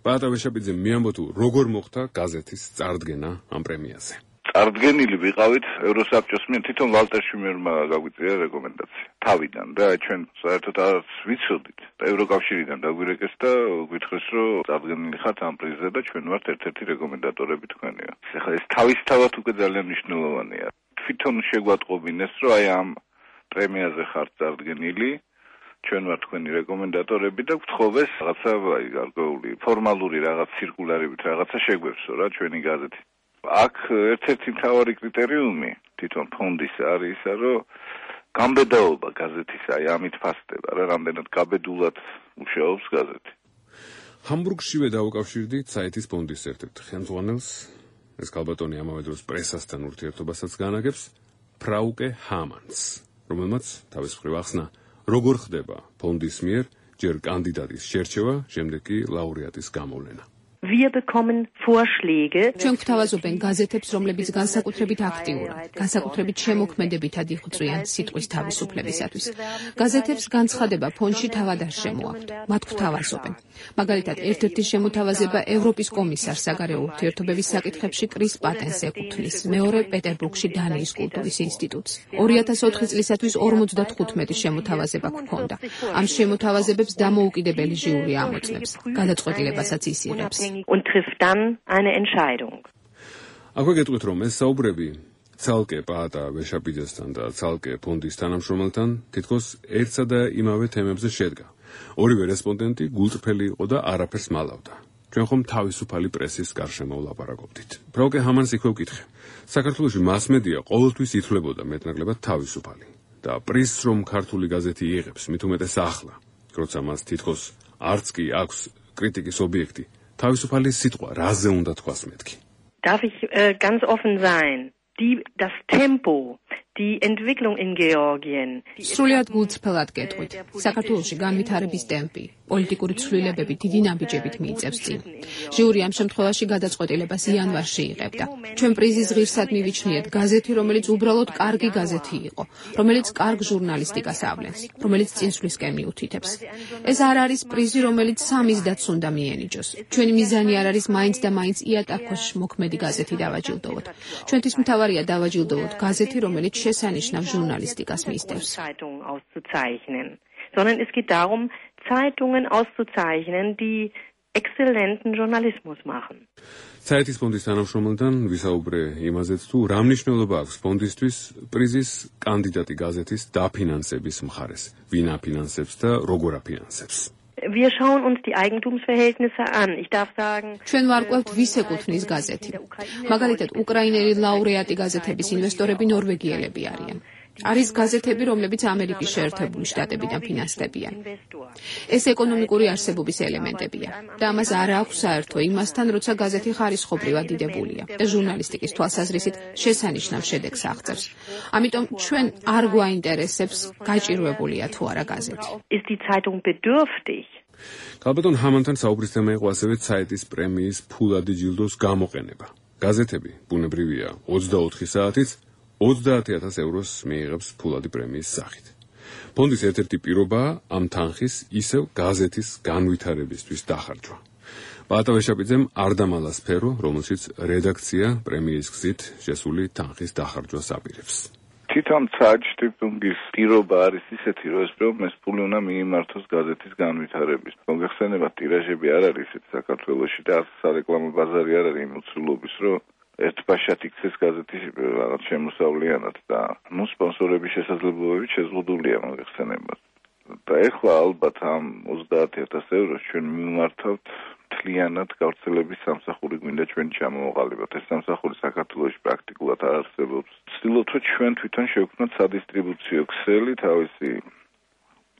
პაატა ვეშაპიძემ მიამბო თუ როგორ მოხდა გაზეთის წარდგენა ამ პრემიაზე. წარდგენილი ვიყავით ევროსაბჭოს მიერ, თვითონ ვალტერ შუმერმა გაგვიწია რეკომენდაცია თავიდან და ჩვენ საერთოდ არც ვიცოდით და ევროკავშირიდან დაგვირეკეს და გვითხრეს, რომ წარდგენილი ხართ ამ პრიზზე და ჩვენ ვართ ერთ-ერთი რეკომენდატორები თქვენია. ეხლა ეს თავისთავად უკვე ძალიან მნიშვნელოვანია. თვითონ შეგვატყობინეს, რომ აი ამ პრემიაზე ხართ წარდგენილი, ჩვენ ვართ თქვენი რეკომენდატორები და გთხოვეს რაღაცა აი გარკვეული ფორმალური რაღაც ცირკულარებით რაღაცა შეგვევსო რა ჩვენი გაზეთი. აქ ერთ-ერთი მთავარი კრიტერიუმი თვითონ ფონდის არის ისა, რომ გამბედაობა გაზეთის აი ამით ფასდება რა, რამდენად გაბედულად მუშაობს გაზეთი. ჰამბურგშივე დაუკავშირდი Zeit-ის ფონდის ერთ-ერთ ხელმძღვანელს, ეს ქალბატონი ამავე დროს პრესასთან ურთიერთობასაც განაგებს, ფრაუკე ჰამანს, რომელმაც თავის მხრივ ახსნა, როგორ ხდება ფონდის მიერ ჯერ კანდიდატის შერჩევა, შემდეგ კი ლაურეატის გამოვლენა. Wir bekommen Vorschläge. ჩვენ გვთავაზობენ გაზეთებს, რომლებიც განსაკუთრებით აქტიურად, განსაკუთრებით შემოქმედებითად იღვწვიან სიტყვის თავისუფლებისათვის. გაზეთებს განცხადება ფონდში თავად არ შემოაქვთ. მათ გვთავაზობენ. მაგალითად, ერთ-ერთი შემოთავაზება ევროპის კომისარს საგარეო ურთიერთობების საკითხებში კრის პატენს ეკუთვნის, მეორე პეტერბურგში დანიის კულტურის ინსტიტუტს. ორი ათას ოთხი წლისათვის ორმოცდათხუთმეტი შემოთავაზება გვქონდა. ამ შემოთავაზებებს დამოუკიდებელი ჟიური ამოწმებს, გადაწყვეტილებასაც ისიღებს. Und trifft dann eine Entscheidung. აქვე გეტყვით, რომ ეს საუბრები ცალკე პაატა ვეშაპიძესთან და ცალკე ფონდის თანამშრომელთან თითქოს ერთსა და იმავე თემებზე შედგა. ორივე რესპონდენტი გულწრფელი იყო და არაფერს მალავდა. ჩვენ ხომ თავისუფალი პრესის გარშემო ვლაპარაკობდით. ფრაუკე ჰამანს იქვე ვკითხე. საქართველოში მასმედია ყოველთვის ითვლებოდა მეტნაკლებად თავისუფალი და პრიზს რომ ქართული გაზეთი იღებს, მით უმეტეს ახლა, როცა მას თითქოს არც კი აქვს კრიტიკის ობიექტი. თავისუფალი სიტყვა რაზე უნდა თქვას მეთქი? Darf ich äh, ganz offen sein? Die, das Tempo, die Entwicklung in Georgien. სრულიად გულწრფელად გეტყვით. საქართველოში განვითარების ტემპი, პოლიტიკური ცვლილებები დიდი ნაბიჯებით მიიწევს წინ. ჟიური ამ შემთხვევაში გადაწყვეტილებას იანვარში იღებდა. ჩვენ პრიზის ღირსად მივიჩნიეთ გაზეთი, რომელიც უბრალოდ კარგი გაზეთი იყო, რომელიც კარგ ჟურნალისტიკას ავლენს, რომელიც წინსვლისკენ მიუთითებს. ეს არ არის პრიზი, რომელიც სამიზდაც უნდა მიენიჭოს. ჩვენი მიზანი არ არის მაინც და მაინც იატაკქვეშ მოქმედი გაზეთი დავაჯილდოვოთ. ჩვენთვის მთავარია დავაჯილდოვოთ გაზეთი, რომელიც შესანიშნავ ჟურნალისტიკას მისდევს. Sondern es geht darum, Zeitungen auszuzeichnen, die exzellenten Journalismus machen. Zeit-ის ფონდის თანამშრომელთან ვისაუბრე იმაზეც თუ რა მნიშვნელობა აქვს ფონდისთვის პრიზის კანდიდატი გაზეთის დაფინანსების მხარეს, ვინ აფინანსებს და როგორ აფინანსებს. Wir schauen uns die Eigentumsverhältnisse an. Ich darf sagen, ჩვენ ვარკვევთ ვის ეკუთვნის გაზეთი. მაგალითად, უკრაინელი ლაურეატი გაზეთების ინვესტორები ნორვეგიელები არიან. არის გაზეთები, რომლებიც ამერიკის შეერთებული შტატებიდან ფინანსდებიან. ეს ეკონომიკური არსებობის ელემენტებია და ამას არ აქვს საერთო იმასთან, როცა გაზეთი ხარისხობრივად დიდებულია და ჟურნალისტიკის თვალსაზრისით შესანიშნავ შედეგს აღწევს. ამიტომ ჩვენ არ გვაინტერესებს გაჭირვებულია თუ არა გაზეთი. Ist die Zeitung bedürftig? ქალბატონ ჰამანთან საუბრის თემა იყო ასევე Zeit-ის პრემიის ფულადი ჯილდოს გამოყენება. გაზეთები, ბუნებრივია, ოცდაოთხი საათით ოცდაათი ათას ევროს მიიღებს ფულადი პრემიის სახით. ფონდის ერთ-ერთი პირობაა ამ თანხის ისევ გაზეთის განვითარებისთვის დახარჯვა. პაატა ვეშაპიძემ არ დამალა სფერო, რომელშიც რედაქცია პრემიის გზით შესული თანხის დახარჯვას აპირებს. თვითონ Zeit-Stiftung-ის პირობა არის ისეთი, რომ ეს პრემიის ფული უნდა მიიმართოს გაზეთის განვითარების. მოგეხსენებათ, ტირაჟები არ არის ისეთი საქართველოში და არც სარეკლამო ბაზარი არ არის იმ უცვლელობის, რომ ერთბაშად იქცეს გაზეთი რაღაც შემოსავლიანად და ნუ სპონსორების შესაძლებლობები შეზღუდულია მოგეხსენებათ. და ეხლა ალბათ ამ ოცდაათი ათას ევროს ჩვენ მიმართავთ მთლიანად გავრცელების სამსახური გვინდა ჩვენ ჩამოვაყალიბოთ. ეს სამსახური საქართველოში პრაქტიკულად არ არსებობს. ვცდილობთ რომ ჩვენ თვითონ შევქმნათ სადისტრიბუციო ქსელი თავისი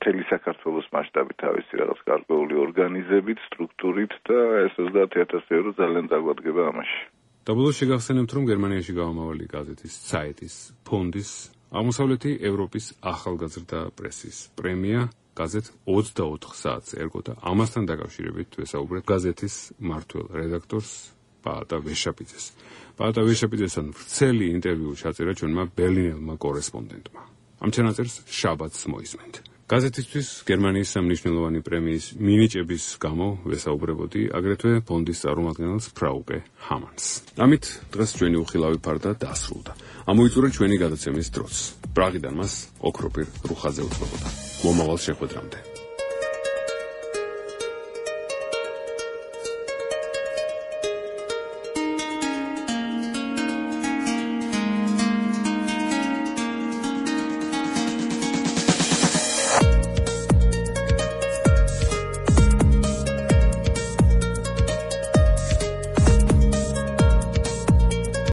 მთელი საქართველოს მასშტაბით თავისი რაღაც გარკვეული ორგანიზებით, სტრუქტურით და ეს ოცდაათი ათასი ევრო ძალიან დაგვადგება ამაში. დაბოლოს შეგახსენებთ, რომ გერმანიაში გამომავალი გაზეთის საიტის ფონდის აღმოსავლეთი ევროპის ახალგაზრდა პრესის პრემია გაზეთ ოცდაოთხ საათს ერგო და ამასთან დაკავშირებით ვესაუბრეთ გაზეთის მმართველ რედაქტორს პაატა ვეშაპიძეს. პაატა ვეშაპიძესთან ვრცელი ინტერვიუ ჩაწერა ჩვენმა ბერლინელმა კორესპონდენტმა. ამ ჩანაწერს შაბათს მოისმენთ. გაზეთისთვის გერმანიის სამნიშნელოვანი პრემიის მინიჭების გამო ვესაუბრებოდი აგრეთვე ფონდის წარმომადგენელს ფრაუკე ჰამანს. ამით დღეს ჩვენი უხილავი ფარდა დასრულდა. ამოიწურა ჩვენი გადაცემის დროც. პრაღიდან მას ოქროპირ რუხაძე უწყებოდა. მომავალ შეხვედრამდე.